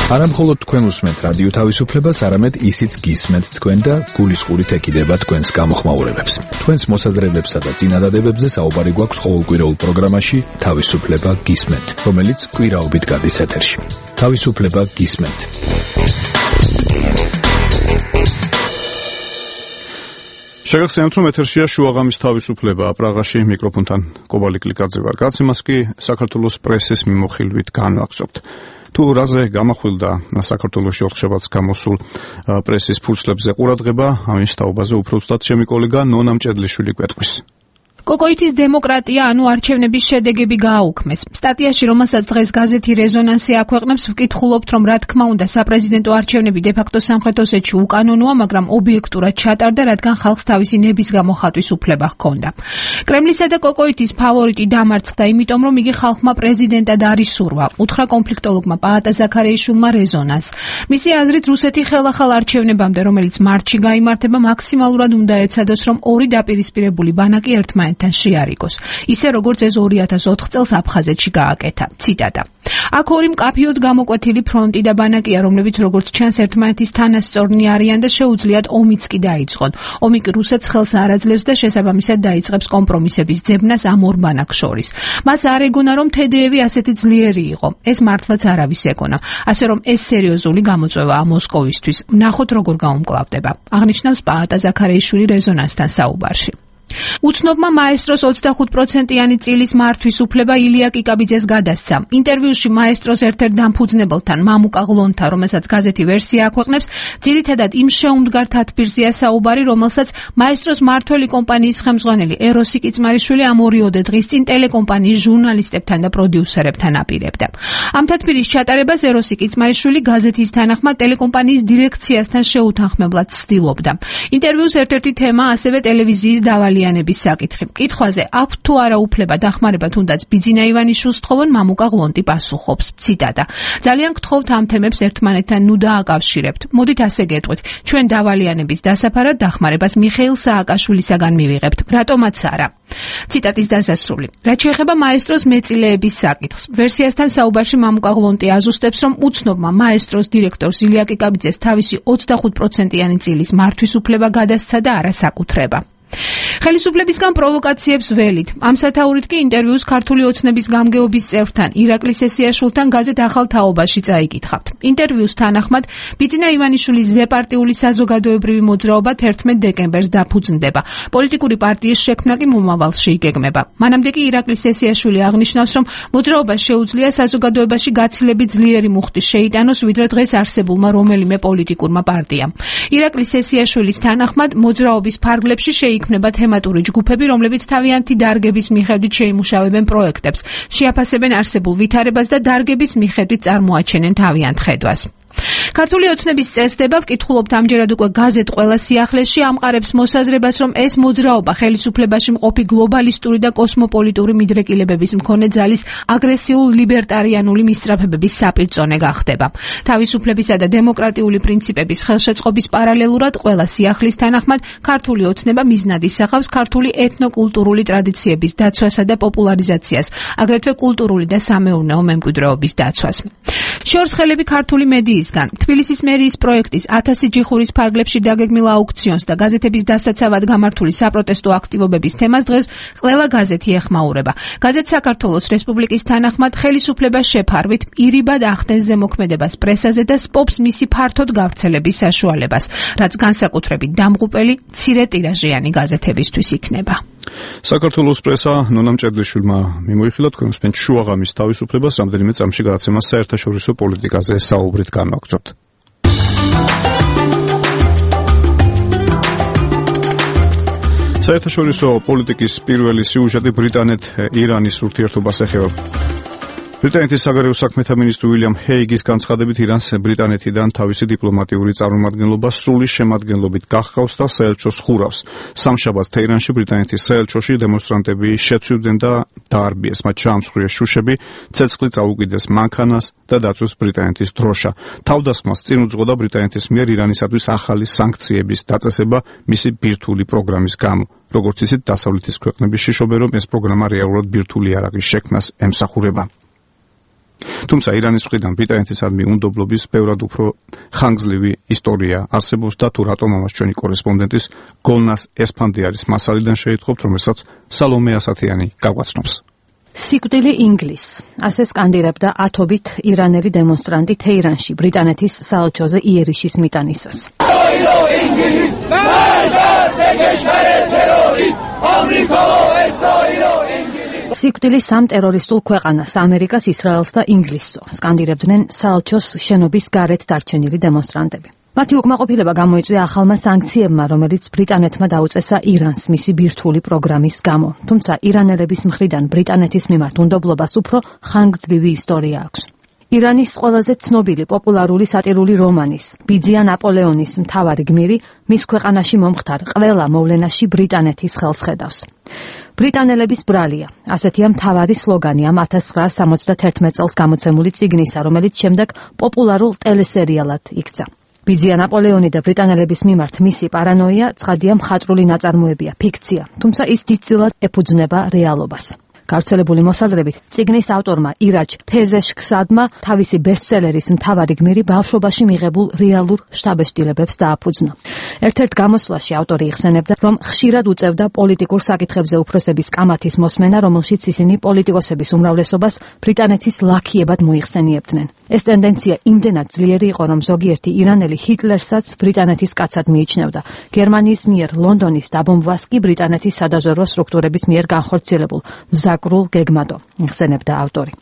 არა მხოლოდ თქვენ უსმენთ რადიო თავისუფლებას, არამედ ისიც გისმენთ თქვენ და გულისყურით ეკიდება თქვენს გამოხმაურებებს. თქვენს მოსაზრებებსა და წინადადებებზე საუბარი გვაქვს ყოველკვირეულ პროგრამაში თავისუფლება გისმენთ, რომელიც კვირაობით გადის ეთერში. თავისუფლება გისმენთ. შეგახსენებთ, რომ ეთერშია შუაღამის თავისუფლება პრაღაში მიკროფონთან კობალი კლიკაძე ვარ. გაცემას კი საქართველოს პრესის მიმოხილვით განვაგრძობთ. თუ რაზე გამახვილდა საქართველოში ოთხშაბათს გამოსულ პრესის ფურცლებზე ყურადღება, ამის თაობაზე უფრო ზუსტად ჩემი კოლეგა ნონა მჭედლიშვილი გვეტყვის. კოკოითის დემოკრატია, ანუ არჩევნების შედეგები გააუქმეს. სტატიაში, რომელსაც დღეს გაზეთი რეზონანსი აქვეყნებს, ვკითხულობთ, რომ რა თქმა უნდა საპრეზიდენტო არჩევნები დე-ფაქტო სამხრეთ ოსეთში უკანონოა, მაგრამ ობიექტურად ჩატარდა, რადგან ხალხს თავისი ნების გამოხატვის უფლება ჰქონდა. კრემლისა და კოკოითის ფავორიტი დამარცხდა, იმიტომ რომ იგი ხალხმა პრეზიდენტად არ ისურვა, უთხრა კონფლიქტოლოგმა პაატა ზაქარიაშვილმა რეზონანს. მისი აზრით, რუსეთი ხელახალ არჩევნებამდე, რომელიც მარტში გაიმართება, მაქსიმალურად უნდა ეცადოს, რომ ორი დაპირისპირებული ბანაკი ერთმანეთთან შეარიგოს, ისე როგორც ეს 2004 წელს აფხაზეთში გააკეთა. ციტატა. აქ ორი მკაფიოდ გამოკვეთილი ფრონტი და ბანაკია, რომლებიც როგორც ჩანს ერთმანეთის თანასწორნი არიან და შეუძლიათ ომიც კი დაიწყონ. ომი კი რუსეთს ხელს არ აძლევს და შესაბამისად დაიწყებს კომპრომისების ძებნას ამ ორ ბანაკს შორის. მას არ ეგონა, რომ თედეევი ასეთი ძლიერი იყო. ეს მართლაც არავის ეგონა. ასე რომ ეს სერიოზული გამოწვევაა მოსკოვისთვის. ვნახოთ როგორ გაუმკლავდება. აღნიშნავს პაატა ზაქარიაშვილი რეზონანსთან საუბარში. უცნობმა მაესტროს 25%-იანი წილის მართვის უფლება ილია კიკაბიძეს გადასცა. ინტერვიუში მაესტროს ერთ-ერთ დამფუძნებელთან მამუკა ღლონთან, რომელსაც გაზეთი ვერსია აქვეყნებს, ძირითადად იმ შეუმდგარ თათბირზეა საუბარი, რომელსაც მაესტროს მართველი კომპანიის ხელმძღვანელი ეროსი კიწმარიშვილი ამ 2 დღის წინ ტელეკომპანიის ჟურნალისტებთან და პროდიუსერებთან აპირებდა. ამ თათბირის ჩატარებას ეროსი კიწმარიშვილი გაზეთის თანახმად ტელეკომპანიის დირექციასთან შეუთანხმებლად ცდილობდა. ინტერვიუს ერთ-ერთი თემა ასევე ტელევიზიის დავალიანების საკითხი. კითხვაზე აქვთ თუ არა უფლება დახმარება თუნდაც ბიძინა ივანიშვილს თხოვონ, მამუკა ღლონტი პასუხობს. ციტატა. ძალიან გთხოვთ ამ თემებს ერთმანეთთან ნუ დააკავშირებთ. მოდით ასე გეტყვით. ჩვენ დავალიანების დასაფარად დახმარებას მიხეილ სააკაშვილისაგან მივიღებთ. რატომაც არა. ციტატის დასასრული. რაც შეეხება მაესტროს მეწილეების საკითხს, ვერსიასთან საუბარში მამუკა ღლონტი აზუსტებს, რომ უცნობმა მაესტროს დირექტორს ილია კიკაბიძეს თავისი 25%-იანი წილის მართვის უფლება გადასცა და არა საკუთრება. ხელისუფლებისგან პროვოკაციებს ველით. ამ სათაურით კი ინტერვიუს ქართული ოცნების გამგეობის წევრთან ირაკლი სესიაშვილთან გაზეთ ახალ თაობაში წაიკითხავთ. ინტერვიუს თანახმად ბიძინა ივანიშვილის ზეპარტიული საზოგადოებრივი მოძრაობა 11 დეკემბერს დაფუძნდება. პოლიტიკური პარტიის შექმნა კი მომავალში იგეგმება. მანამდე კი ირაკლი სესიაშვილი აღნიშნავს, რომ მოძრაობას შეუძლია საზოგადოებაში გაცილებით ძლიერი მუხტი შეიტანოს, ვიდრე დღეს არსებულმა რომელიმე პოლიტიკურმა პარტიამ. ირაკლი სესიაშვილის თანახმად მოძრაობის ფარგლებში შეიქმნება თემატური ჯგუფები, რომლებიც თავიანთი დარგების მიხედვით შეიმუშავებენ პროექტებს, შეაფასებენ არსებულ ვითარებას და დარგების მიხედვით წარმოაჩენენ თავიანთ ხედვას. ქართული ოცნების წესდება, ვკითხულობთ ამჯერად უკვე გაზეთ ყველა სიახლეში, ამყარებს მოსაზრებას, რომ ეს მოძრაობა ხელისუფლებაში მყოფი გლობალისტური და კოსმოპოლიტური მიდრეკილებების მქონე ძალის აგრესიულ ლიბერტარიანული მისწრაფებების საპირწონე გახდება. თავისუფლებისა და დემოკრატიული პრინციპების ხელშეწყობის პარალელურად ყველა სიახლის თანახმად ქართული ოცნება მიზნად ისახავს ქართული ეთნოკულტურული ტრადიციების დაცვასა და პოპულარიზაციას, აგრეთვე კულტურული და სამეურნეო მემკვიდრეობის დაცვას. შორსხელები ქართული მედიისგან თბილისის მერიის პროექტის 1000 ჯიხურის ფარგლებში დაგეგმილ აუქციონს და გაზეთების დასაცავად გამართული საპროტესტო აქტივობების თემას დღეს ყველა გაზეთი ეხმაურება. გაზეთ საქართველოს რესპუბლიკის თანახმად ხელისუფლება შეფარვით ირიბად ახდენს ზემოქმედებას პრესაზე და სპობს მისი ფართოდ გავრცელების საშუალებას, რაც განსაკუთრებით დამღუპელი მცირე ტირაჟიანი გაზეთებისთვის იქნება. საქართველოს პრესა ნონა მჭედლიშვილმა მიმოიხილა თქვენს პენჩ შუაღამის თავისუფლებას რამდენიმე წამში გადაცემა საერთაშორისო პოლიტიკაზე საუბრით განვაგრძობთ. საერთაშორისო პოლიტიკის პირველი სიუჟეტი ბრიტანეთ-ირანის ურთიერთობას ეხება. ბრიტანეთის საგარეო საქმეთა მინისტრი უილიამ ჰეიგის განცხადებით ირანს ბრიტანეთიდან თავისი დიპლომატიური წარმომადგენლობა სრული შემადგენლობით გახავს და საელჩოს ხურავს. სამშაბათს თეირანში ბრიტანეთის საელჩოში დემონსტრანტები შეცვლიდნენ და დაარბიეს, მათ ჩაამსხვრიეს შუშები, ცეცხლი წაუკიდეს მანქანას და დაწვეს ბრიტანეთის დროშა. თავდასხმას წინ უძღოდა ბრიტანეთის მიერ ირანისათვის ახალი სანქციების დაწესება მისი ბირთვული პროგრამის გამო. როგორც იცით, დასავლეთის ქვეყნები შიშობენ, რომ ეს პროგრამა რეალურად ბირთვული იარაღის შექმნას ემსახურება. თუმცა ირანის მხრიდან ბრიტანეთისადმი უნდობლობის ბევრად უფრო ხანგრძლივი ისტორია არსებობს და თუ რატომ ამას ჩვენი კორესპონდენტის გოლნას ესფანდიარის მასალიდან შეითხოვთ, რომელსაც სალომე ასათიანი გაგვაცნობს. სიკვდილი ინგლისს, ასე სკანდირებდა ათობით ირანელი დემონსტრანტი თეირანში ბრიტანეთის საელჩოზე იერიშის მიტანისას. სიკვდილი სამ ტერორისტულ ქვეყანას, ამერიკას, ისრაელს და ინგლისს სკანდირებდნენ საელჩოს შენობის გარეთ დარჩენილი დემონსტრანტები. მათი უკმაყოფილება გამოიწვია ახალმა სანქციებმა, რომელიც ბრიტანეთმა დაუწესა ირანს მისი ბირთვული პროგრამის გამო. თუმცა ირანელების მხრიდან ბრიტანეთის მიმართ უნდობლობას უფრო ხანგრძლივი ისტორია აქვს. ირანის ყველაზე ცნობილი პოპულარული სატირული რომანის ბიძია ნაპოლეონის მთავარი გმირი მის ქვეყანაში მომხდარ ყველა მოვლენაში ბრიტანეთის ხელს ხედავს. ბრიტანელების ბრალია, ასეთია მთავარი სლოგანი ამ 1971 წელს გამოცემული წიგნისა, რომელიც შემდეგ პოპულარულ ტელესერიალად იქცა. ბიძია ნაპოლეონი და ბრიტანელების მიმართ მისი პარანოია ცხადია მხატვრული ნაწარმოებია, ფიქცია, თუმცა ის დიდწილად ეფუძნება რეალობას. გავრცელებული მოსაზრებით, წიგნის ავტორმა ირაჯ ფეზეშქსადმა თავისი ბესტსელერის მთავარი გმირი ბავშვობაში მიღებულ რეალურ შთაბეჭდილებებს დააფუძნა. ერთ-ერთ გამოსვლაში ავტორი იხსენებდა, რომ ხშირად უწევდა პოლიტიკურ საკითხებზე უფროსების კამათის მოსმენა, რომელშიც ისინი პოლიტიკოსების უმრავლესობას ბრიტანეთის ლაქიებად მოიხსენიებდნენ. ეს ტენდენცია იმდენად ძლიერი იყო, რომ ზოგიერთი ირანელი ჰიტლერსაც ბრიტანეთის კაცად მიიჩნევდა. გერმანიის მიერ ლონდონის დაბომბვას კი ბრიტანეთის სადაზვერვო სტრუქტურების მიერ განხორციელებულ მზაკრულ გეგმადო, იხსენებდა ავტორი.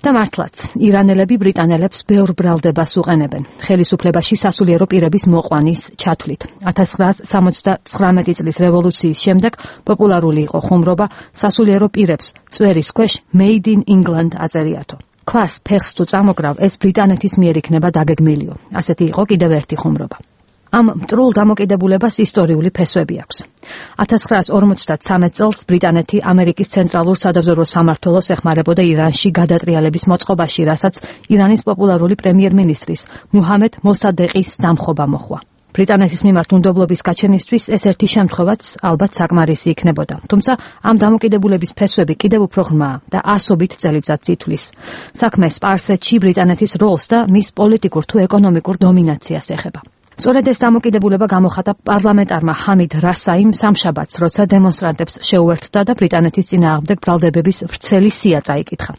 და მართლაც, ირანელები ბრიტანელებს ბევრ ბრალდებას უყენებენ. ხელისუფლებაში სასულიერო პირების მოყვანის ჩათვლით. 1979 წლის რევოლუციის შემდეგ პოპულარული იყო ხუმრობა სასულიერო პირებს წვერის ქვეშ Made in England აწერიათო. ქვას ფეხს თუ წამოგრავ, ეს ბრიტანეთის მიერ იქნება დაგეგმილიო. ასეთი იყო კიდევ ერთი ხუმრობა. ამ მტრულ დამოკიდებულებას ისტორიული ფესვები აქვს. 1953 წელს ბრიტანეთი ამერიკის ცენტრალურ სადაზვერვო სამმართველოს ეხმარებოდა ირანში გადატრიალების მოწყობაში, რასაც ირანის პოპულარული პრემიერ-მინისტრის მუჰამედ მოსადეყის დამხობა მოჰყვა. ბრიტანეთის მიმართ უნდობლობის გაჩენისთვის ეს ერთი შემთხვევაც ალბათ საკმარისი იქნებოდა. თუმცა ამ დამოკიდებულების ფესვები კიდევ უფრო ღრმაა და ასობით წელიწადს ითვლის. საქმე სპარსეთში ბრიტანეთის როლს და მის პოლიტიკურ თუ ეკონომიკურ დომინაციას ეხება. სწორედ ეს დამოკიდებულება გამოხატა პარლამენტარმა ჰამიდ რასაიმ სამშაბათს, როცა დემონსტრანტებს შეუერთდა და ბრიტანეთის წინააღმდეგ ბრალდებების ვრცელი სია წაიკითხა.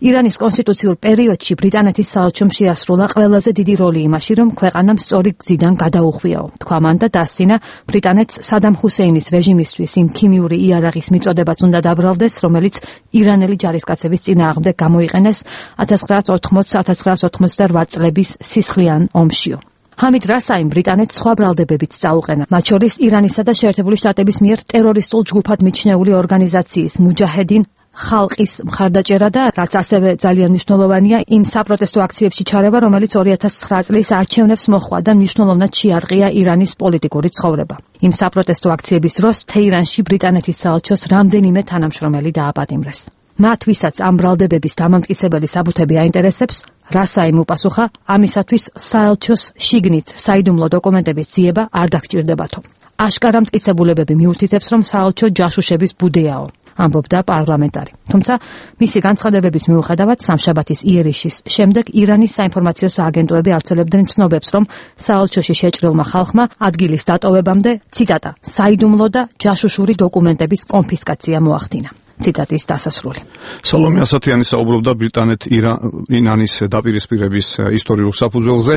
ირანის კონსტიტუციურ პერიოდში ბრიტანეთის საელჩომ შეასრულა ყველაზე დიდი როლი იმაში, რომ ქვეყანამ სწორი გზიდან გადაუხვიაო. თქვა მან და დასცინა ბრიტანეთს სადამ ჰუსეინის რეჟიმისთვის იმ ქიმიური იარაღის მიწოდებაც უნდა დაბრალდეს, რომელიც ირანელი ჯარისკაცების წინააღმდეგ გამოიყენეს 1980-1988 წლების სისხლიან ომშიო. ჰამიდ რასაიმ ბრიტანეთს სხვა ბრალდებებიც წაუყენა, მათ შორის ირანისა და შეერთებული შტატების მიერ ტერორისტულ ჯგუფად მიჩნეული ორგანიზაციის მუჯაჰედინ ხალყის მხარდაჭერა და რაც ასევე ძალიან მნიშვნელოვანია, იმ საპროტესტო აქციებში ჩარევა, რომელიც 2009 წლის არჩევნებს მოჰყვა და მნიშვნელოვნად შეარყია ირანის პოლიტიკური ცხოვრება. იმ საპროტესტო აქციების დროს თეირანში ბრიტანეთის საელჩოს რამდენიმე თანამშრომელი დააპატიმრეს. მათ ვისაც ამ ბრალდებების დამამტკიცებელი საბუთები აინტერესებს, რასაიმ უპასუხა, ამისათვის საელჩოს შიგნით საიდუმლო დოკუმენტების ძიება არ დაგჭირდებათო. აშკარა მტკიცებულებები მიუთითებს, რომ საელჩო ჯაშუშების ბუდეაო, ამბობდა პარლამენტარი. თუმცა მისი განცხადებების მიუხედავად სამშაბათის იერიშის შემდეგ ირანის საინფორმაციო სააგენტოები ავრცელებდნენ ცნობებს, რომ საელჩოში შეჭრილმა ხალხმა ადგილის დატოვებამდე, ციტატა, საიდუმლო და ჯაშუშური დოკუმენტების კონფისკაცია მოახდინა. ციტატის დასასრული. სალომე ასათიანი საუბრობდა ბრიტანეთ-ირანის დაპირისპირების ისტორიულ საფუძველზე.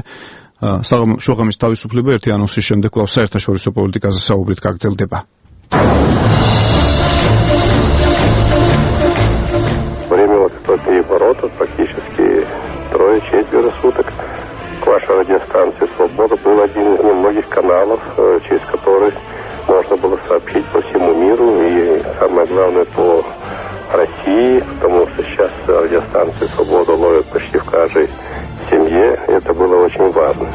შუაღამის თავისუფლება ერთი ანონსის შემდეგ კვლავ საერთაშორისო პოლიტიკაზე საუბრით გაგრძელდება. высокие ворота, практически 3-4 суток. К вашей радиостанции «Свобода» был один из немногих каналов, через который можно было сообщить по всему миру и, самое главное, по России, потому что сейчас радиостанции «Свобода» ловят почти в каждой семье. Это было очень важно.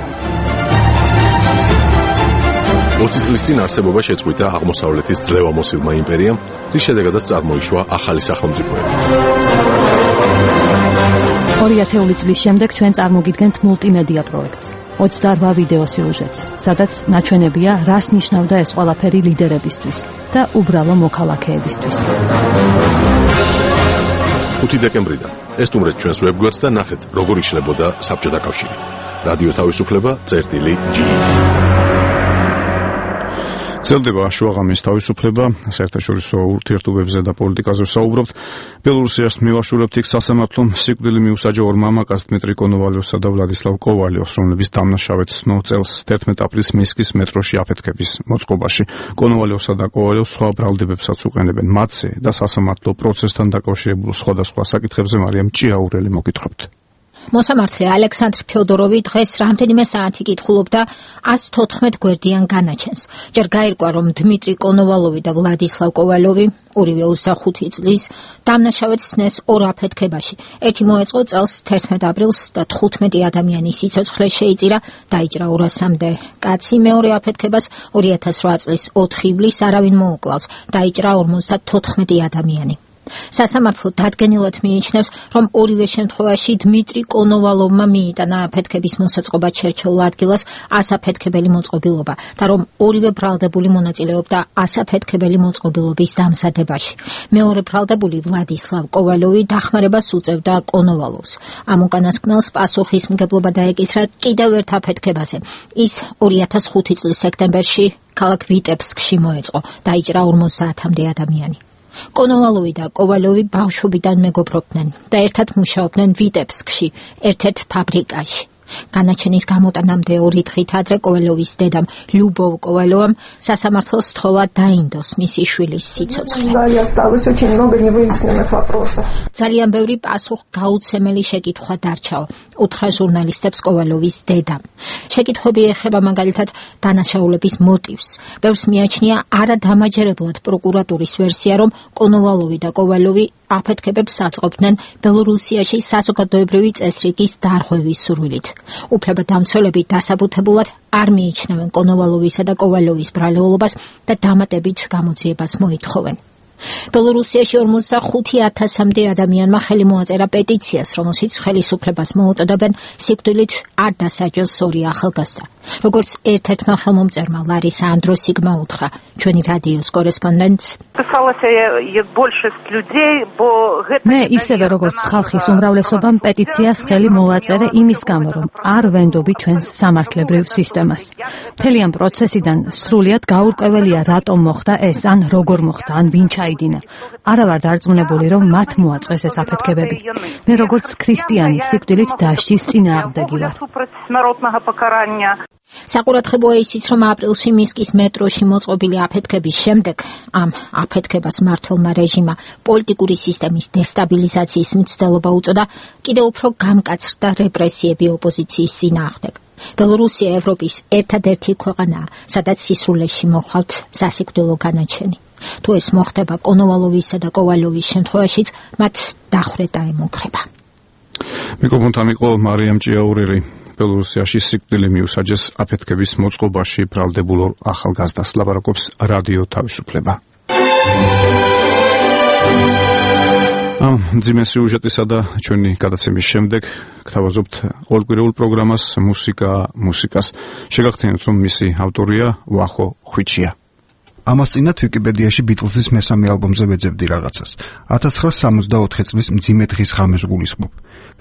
20 წლის წინ არსებობა შეწყვიტა აღმოსავლეთის ძლევამოსილმა იმპერიამ, რის შედეგადაც წარმოიშვა ახალი სახელმწიფოები. 2000 წლის შემდეგ ჩვენ წარმოგიდგენთ მულტიმედია პროექტს, 28 ვიდეო სიუჟეტს, სადაც ნაჩვენებია, რას ნიშნავდა ეს ყველაფერი ლიდერებისთვის და უბრალო მოქალაქეებისთვის. 5 დეკემბრიდან ესტუმრეთ ჩვენს ვებგვერდს და ნახეთ, როგორ იშლებოდა საბჭოთა კავშირი. რადიო თავისუფლება წერტილი.g. ძლდება შუაღამის თავისუფლება, საერთაშორისო ურთიერთობებზე და პოლიტიკაზე ვსაუბრობთ. ბელორუსიას მივაშურებთ იქ სასამართლომ სიკვდილი მიუსაჯა ორ მამაკაცს დმიტრი კონოვალიოვსა და ვლადისლავ კოვალიოვს, რომლების დამნაშავედ სნო წელს 11 აპრილს მინსკის მეტროში აფეთქების მოწყობაში. კონოვალიოვსა და კოვალიოვს სხვა ბრალდებებსაც უყენებენ მათზე და სასამართლო პროცესთან დაკავშირებულ სხვადასხვა საკითხებზე მარიამ ჭიაურელი მოგითხრობთ. მოსამართლე ალექსანდრ ფიოდოროვი დღეს რამდენიმე საათი კითხულობდა 114 გვერდიან განაჩენს. ჯერ გაირკვა, რომ დმიტრი კონოვალოვი და ვლადისლავ კოვალოვი, ორივე 25 წლის, დამნაშავედ სცნეს ორ აფეთქებაში. ერთი მოეწყო წელს 11 აპრილს და 15 ადამიანის სიცოცხლე შეიწირა, დაიჭრა 200-მდე კაცი. მეორე აფეთქებას 2008 წლის 4 ივლისს არავინ მოუკლავს, დაიჭრა 54 ადამიანი. სასამართლო დადგენილად მიიჩნევს, რომ ორივე შემთხვევაში დმიტრი კონოვალოვმა მიიტანა აფეთქების მოსაწყობად შერჩეულ ადგილას ასაფეთქებელი მოწყობილობა და რომ ორივე ბრალდებული მონაწილეობდა ასაფეთქებელი მოწყობილობის დამზადებაში. მეორე ბრალდებული ვლადისლავ კოვალოვი დახმარებას უწევდა კონოვალოვს. ამ უკანასკნელს პასუხისმგებლობა დაეკისრა კიდევ ერთ აფეთქებაზე. ის 2005 წლის სექტემბერში ქალაქ ვიტებსკში მოეწყო, დაიჭრა 50-მდე ადამიანი. კონოვალოვი და კოვალოვი ბავშვობიდან მეგობრობდნენ და ერთად მუშაობდნენ ვიტებსკში, ერთ-ერთ ფაბრიკაში. განაჩენის გამოტანამდე 2 დღით ადრე კოვალოვის დედამ ლიუბოვ კოვალოვამ სასამართლოს სთხოვა დაინდოს მისი შვილის სიცოცხლე. ძალიან ბევრი პასუხგაუცემელი შეკითხვა დარჩაო, უთხრა ჟურნალისტებს კოვალოვის დედამ. შეკითხვები ეხება მაგალითად დანაშაულების მოტივს. ბევრს მიაჩნია არადამაჯერებლად პროკურატურის ვერსია, რომ კონოვალოვი და კოვალოვი აფეთქებებს აწყობდნენ ბელორუსიაში საზოგადოებრივი წესრიგის დარღვევის სურვილით. უფლებადამცველები დასაბუთებულად არ მიიჩნევენ კონოვალოვისა და კოვალოვის ბრალეულობას და დამატებით გამოძიებას მოითხოვენ. ბელორუსიაში 45,000-მდე ადამიანმა ხელი მოაწერა პეტიციას, რომელშიც ხელისუფლებას მოუწოდებენ სიკვდილით არ დასაჯოს ორი ახალგაზრდა. როგორც ერთ-ერთმა ხელმომწერმა ლარისა ანდროსიგმა უთხრა, ჩვენი რადიოს კორესპონდენტს. მე ისევე როგორც ხალხის უმრავლესობამ პეტიციას ხელი მოვაწერე იმის გამო, რომ არ ვენდობი ჩვენს სამართლებრივ სისტემას. მთელი ამ პროცესიდან სრულიად გაურკვეველია, რატომ მოხდა ეს, ან როგორ მოხდა, ან ვინ ჩაიდინა. არა ვარ დარწმუნებული, რომ მათ მოაწყეს ეს აფეთქებები. მე როგორც ქრისტიანი სიკვდილით დასჯის წინააღმდეგი ვარ. საყურადღებოა ისიც, რომ აპრილში მინსკის მეტროში მოწყობილი აფეთქების შემდეგ ამ აფეთქებას მმართველმა რეჟიმმა პოლიტიკური სისტემის დესტაბილიზაციის მცდელობა უწოდა, კიდევ უფრო გამკაცრდა რეპრესიები ოპოზიციის წინააღმდეგ. ბელორუსია ევროპის ერთადერთი ქვეყანაა, სადაც სისრულეში მოხავთ სასიკვდილო განაჩენი. თუ ეს მოხდება კონოვალოვისა და კოვალოვის შემთხვევაშიც, მათ დახვრეტა ემუქრება. მიკროფონთან იყო მარიამ ჭიაურელი. ბელორუსიაში სიკვდილი მიუსაჯეს აფეთქების მოწყობაში ბრალდებულ ახალგაზრდას. ლაპარაკობს რადიო თავისუფლება. ამ ძიმე სიუჟეტისა და ჩვენი გადაცემის შემდეგ გთავაზობთ ორკვირეულ პროგრამას მუსიკას. შეგახსენებთ, რომ მისი ავტორია ვახო ხვიჩია. ამას წინათ ვიკიპედიაში ბიტლზის მესამე ალბომზე ვეძებდი რაღაცას. 1964 წლის მძიმე დღის ღამეს გულისხმობ.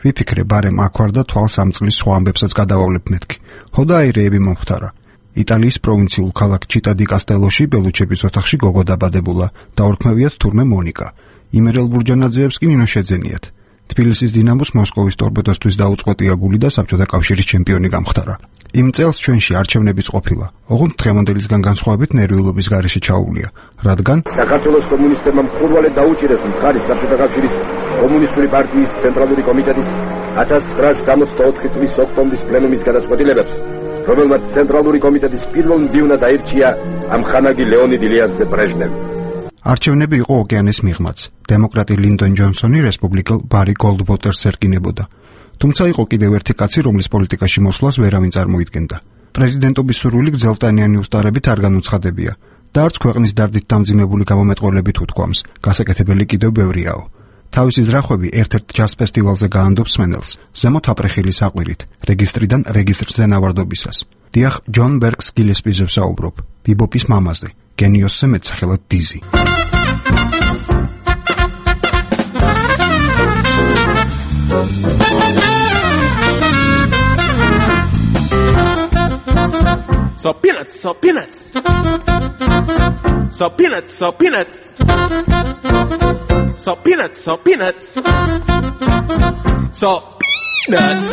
ვიფიქრე, ბარემ აქ ვარ და თვალს ამ წლის სხვა ამბებსაც გადავავლებ მეთქი. ხოდა აირეები მომხდარა. იტალიის პროვინციულ ქალაქ ჩიტა დი კასტელოში ბელუჩების ოთახში გოგო დაბადებულა და ორქმევიათ თურმე მონიკა. იმერელ ბურჯანაძეებს კი ნინო შეძენიათ. თბილისის დინამოს მოსკოვის ტორპედოსთვის დაუწყვეტია გული და საბჭოთა კავშირის ჩემპიონი გამხდარა. იმ წელს ჩვენში არჩევნებიც ყოფილა. ოღონდ დღევანდელისგან განსხვავებით ნერვიულობის გარეშე ჩაუვლია, რადგან საქართველოს კომუნისტებმა მხურვალედ დაუჭირეს მხარის საბჭოთა კავშირის კომუნისტური პარტიის ცენტრალური კომიტეტის 1964 წლის ოქტომბრის პლენუმის გადაწყვეტილებებს, რომელმაც ცენტრალური კომიტეტის პირველ მდივნად აირჩია ამხანაგი ლეონიდ ილიასზე ბრეჟნევი. არჩევნები იყო ოკეანის მიღმაც. დემოკრატი ლინდონ ჯონსონი რესპუბლიკელ ბარი გოლდვოტერს ერკინებოდა. თუმცა იყო კიდევ ერთი კაცი, რომლის პოლიტიკაში მოსვლას ვერავინ წარმოიდგენდა. პრეზიდენტობის სურვილი გრძელტანიანი უსტარებით არ განუცხადებია და არც ქვეყნის დარდით დამძიმებული გამომეტყველებით უთქვამს, გასაკეთებელი კიდევ ბევრიაო. თავისი ზრახვები ერთ-ერთ ჯაზ ფესტივალზე გაანდობს სმენელს, ზემოთ აპრეხილი საყვირით, რეგისტრიდან რეგისტრზე ნავარდობისას. დიახ, ჯონ ბერგს გილესპიზე ვსაუბრობ, ბიბოპის მამაზე, გენიოსზე მეტსახელად დიზი. So peanuts, so peanuts. So peanuts, so peanuts. So peanuts, so peanuts. So peanuts.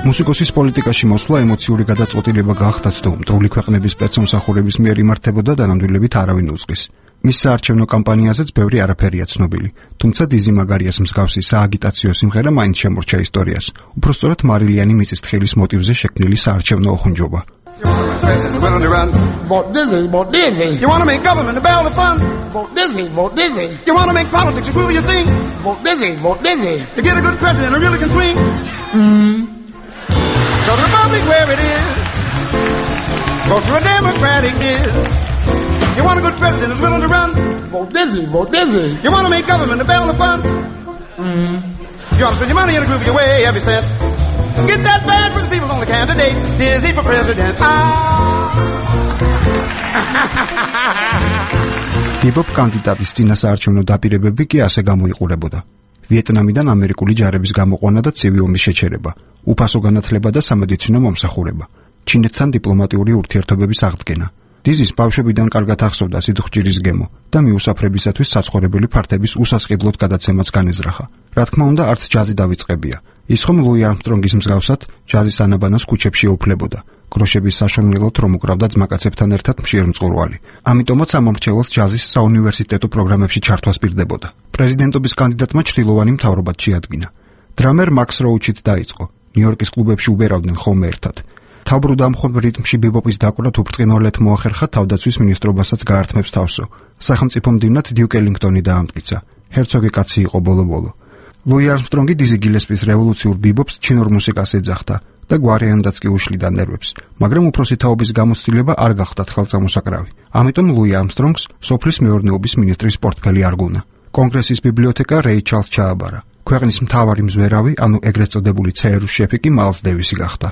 მუსიკოსის პოლიტიკაში მოსვლა ემოციური გადაწყვეტილება გახდათ თუ მტრული ქვეყნების სპეცსამსახურების მიერ იმართებოდა და ნამდვილებით არავინ უძღვის. მის საარჩევნო კამპანიაზეც ბევრი არაფერია ცნობილი, თუმცა დიზი მაგარიას მსგავსი სააგიტაციო სიმღერა მაინც შემორჩა ისტორიას. უпростоრად მარილიანი მიწისთხილის მოტივზე შექმნილი საარჩევნო ოხუნჯობა. Vote Dizzy, vote Dizzy. You want to make government a barrel of fun? Vote Dizzy, vote Dizzy. You want to make politics a groove you sing? Vote Dizzy, vote Dizzy. You get a good president who really can swing? So the Republic where it is, vote for a Democratic is. You want a good president who's willing to run? Vote Dizzy, vote Dizzy. You want to make government a barrel of fun? You want to spend your money in a groove your way every cent. Get that bad for the people's only candidate. Dizzy for president. ბიბოპ კანდიდატის წინასაარჩევნო დაპირებები კი ასე გამოიყურებოდა. ვიეტნამიდან ამერიკული ჯარების გამოყვანა და ცივი ომის შეჩერება, უფასო განათლება და სამედიცინო მომსახურება, ჩინეთთან დიპლომატიური ურთიერთობების აღდგენა. დიზის ბავშვებიდან კარგად ახსოვდა სიძუხჭირის გემო და მიუსაფრებისათვის საცხოვრებელი ფართების უსასყიდლოდ გადაცემაც განეზრახა. რა თქმა უნდა, არც ჯაზი დავიწყებია. ის ხომ ლუი არმსტრონგის მსგავსად ჯაზის ანაბანას ქუჩებში ეუფლებოდა. გროშების საშოვნელად რომ უკრავდა ძმაკაცებთან ერთად მშიერ მწყურვალი. ამიტომაც ამ მომრჩეველს ჯაზის საუნივერსიტეტო პროგრამებში ჩართვა სპირდებოდა. პრეზიდენტობის კანდიდატმა ჩრდილოვანი მთავრობად შეადგინა. დრამერ მაქს როუჩით დაიწყო. ნიუ-იორკის კლუბებში უბერავდნენ ხოლმე ერთად. თავბრუდ ამხობ რიტმში ბიბოპის დაკვრა უბრწყინვალედ მოახერხა თავდაცვის მინისტრობასაც გაართმევს თავსო. სახელმწიფო მდივნად დიუკ ელინგტონი დაამტკიცა. ჰერცოგი კაცი იყო ბოლო-ბოლო. ლუი არმსტრონგი დიზი გილესპის რევოლუციურ ბიბოპს ჩინურ მუსიკას ეძახდა და გვარიანადაც კი უშლიდა ნერვებს, მაგრამ უფროსი თაობის გამოცდილება არ გახდათ ხელწამოსაკრავი. ამიტომ ლუი არმსტრონგს სოფლის მეურნეობის მინისტრის პორტფელი არგუნა. კონგრესის ბიბლიოთეკა რეი ჩარლს ჩააბარა. ქვეყნის მთავარი მზვერავი, ანუ ეგრეთ წოდებული ЦРУ შეფი კი მაილს დევისი გახდა.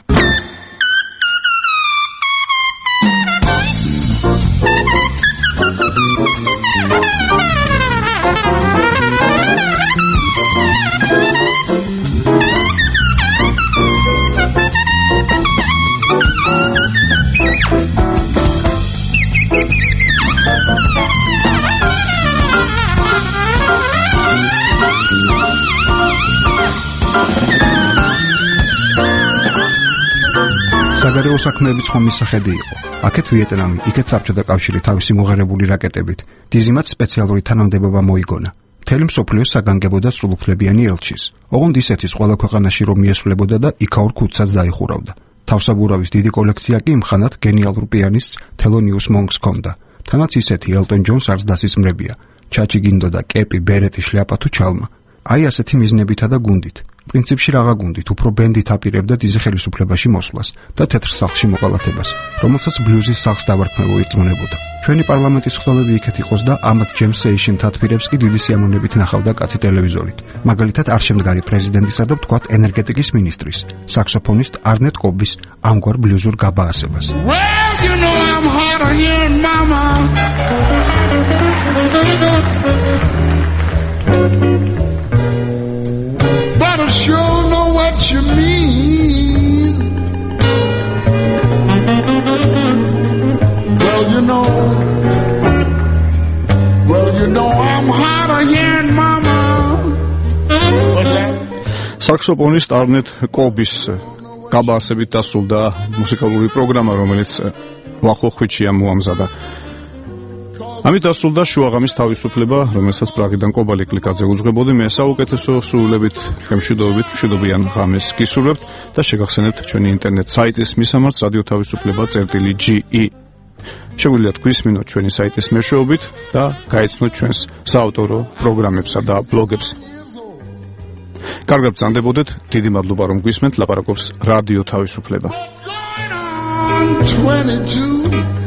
საგარეო საქმეების ხომის სახედი იყო. აქეთ ვიეტნამი, იქეთ საბჭოთა კავშირი თავისი მოღერებული რაკეტებით. დიზიმაც სპეციალური თანამდებობა მოიგონა. მთელი მსოფლიოს საგანგებოდა სრულუფლებიანი ელჩის. ოღონდ ისეთის ყველა ქვეყანაში რომ მიესვლებოდა და იქაურ ქუდსაც დაიხურავდა. თავსაბურავის დიდი კოლექცია კი იმხანად გენიალურ პიანისტს თელონიუს მონკს ჰქონდა. თანაც ისეთი ელტონ ჯონს არც დასისმრებია. ჩაჩი გინდოდა კეპი, ბერეტი, შლაპა თუ ჩალმა. აი ასეთი მიზნებითა და გუნდით. პრინციპში რაღა გუნდით, უფრო ბენდით აპირებდა დიზი ხელისუფლებაში მოსვლას და თეთრ სახლში მოყალათებას, რომელსაც ბლუზის სახლს დავარქმევო ირწმუნებოდა. ჩვენი პარლამენტის ხდომები იქეთ იყოს და ამათ ჯემს სეიშენ თათბირებს კი დიდი სიამოვნებით ნახავდა კაცი ტელევიზორით. მაგალითად არჩევდგარი პრეზიდენტისა და ვთქვათ ენერგეტიკის მინისტრის, საქსოფონისტ არნეტ კობის ამგვარ ბლუზურ გაბაასებას. Well, you know I'm hotter here, mama. But I sure know what you mean. Well, you know I'm hotter here, mama. საქსოფონისტ არნეტ კობის გაბაასებით დასრულდა მუსიკალური პროგრამა, რომელიც ვახოხვიჩია მოამზადა. ამით დასრულდა შუაღამის თავისუფლება, რომელსაც პრაღიდან კობალი კლიკაძე უძღვებოდი. მე საუკეთესო სრულებით, მშვიდობით, მშვიდობიან ღამეს გისურვებთ და შეგახსენებთ ჩვენი ინტერნეტ საიტის მისამართს radioთავისუფლება.ge. შეგვიძლიათ გვისმინოთ ჩვენი საიტის მეშვეობით და გაეცნოთ ჩვენს საავტორო პროგრამებსა და ბლოგებს. კარგად ბრძანდებოდეთ, დიდი მადლობა რომ გვისმენთ, ლაპარაკობს რადიო თავისუფლება. 22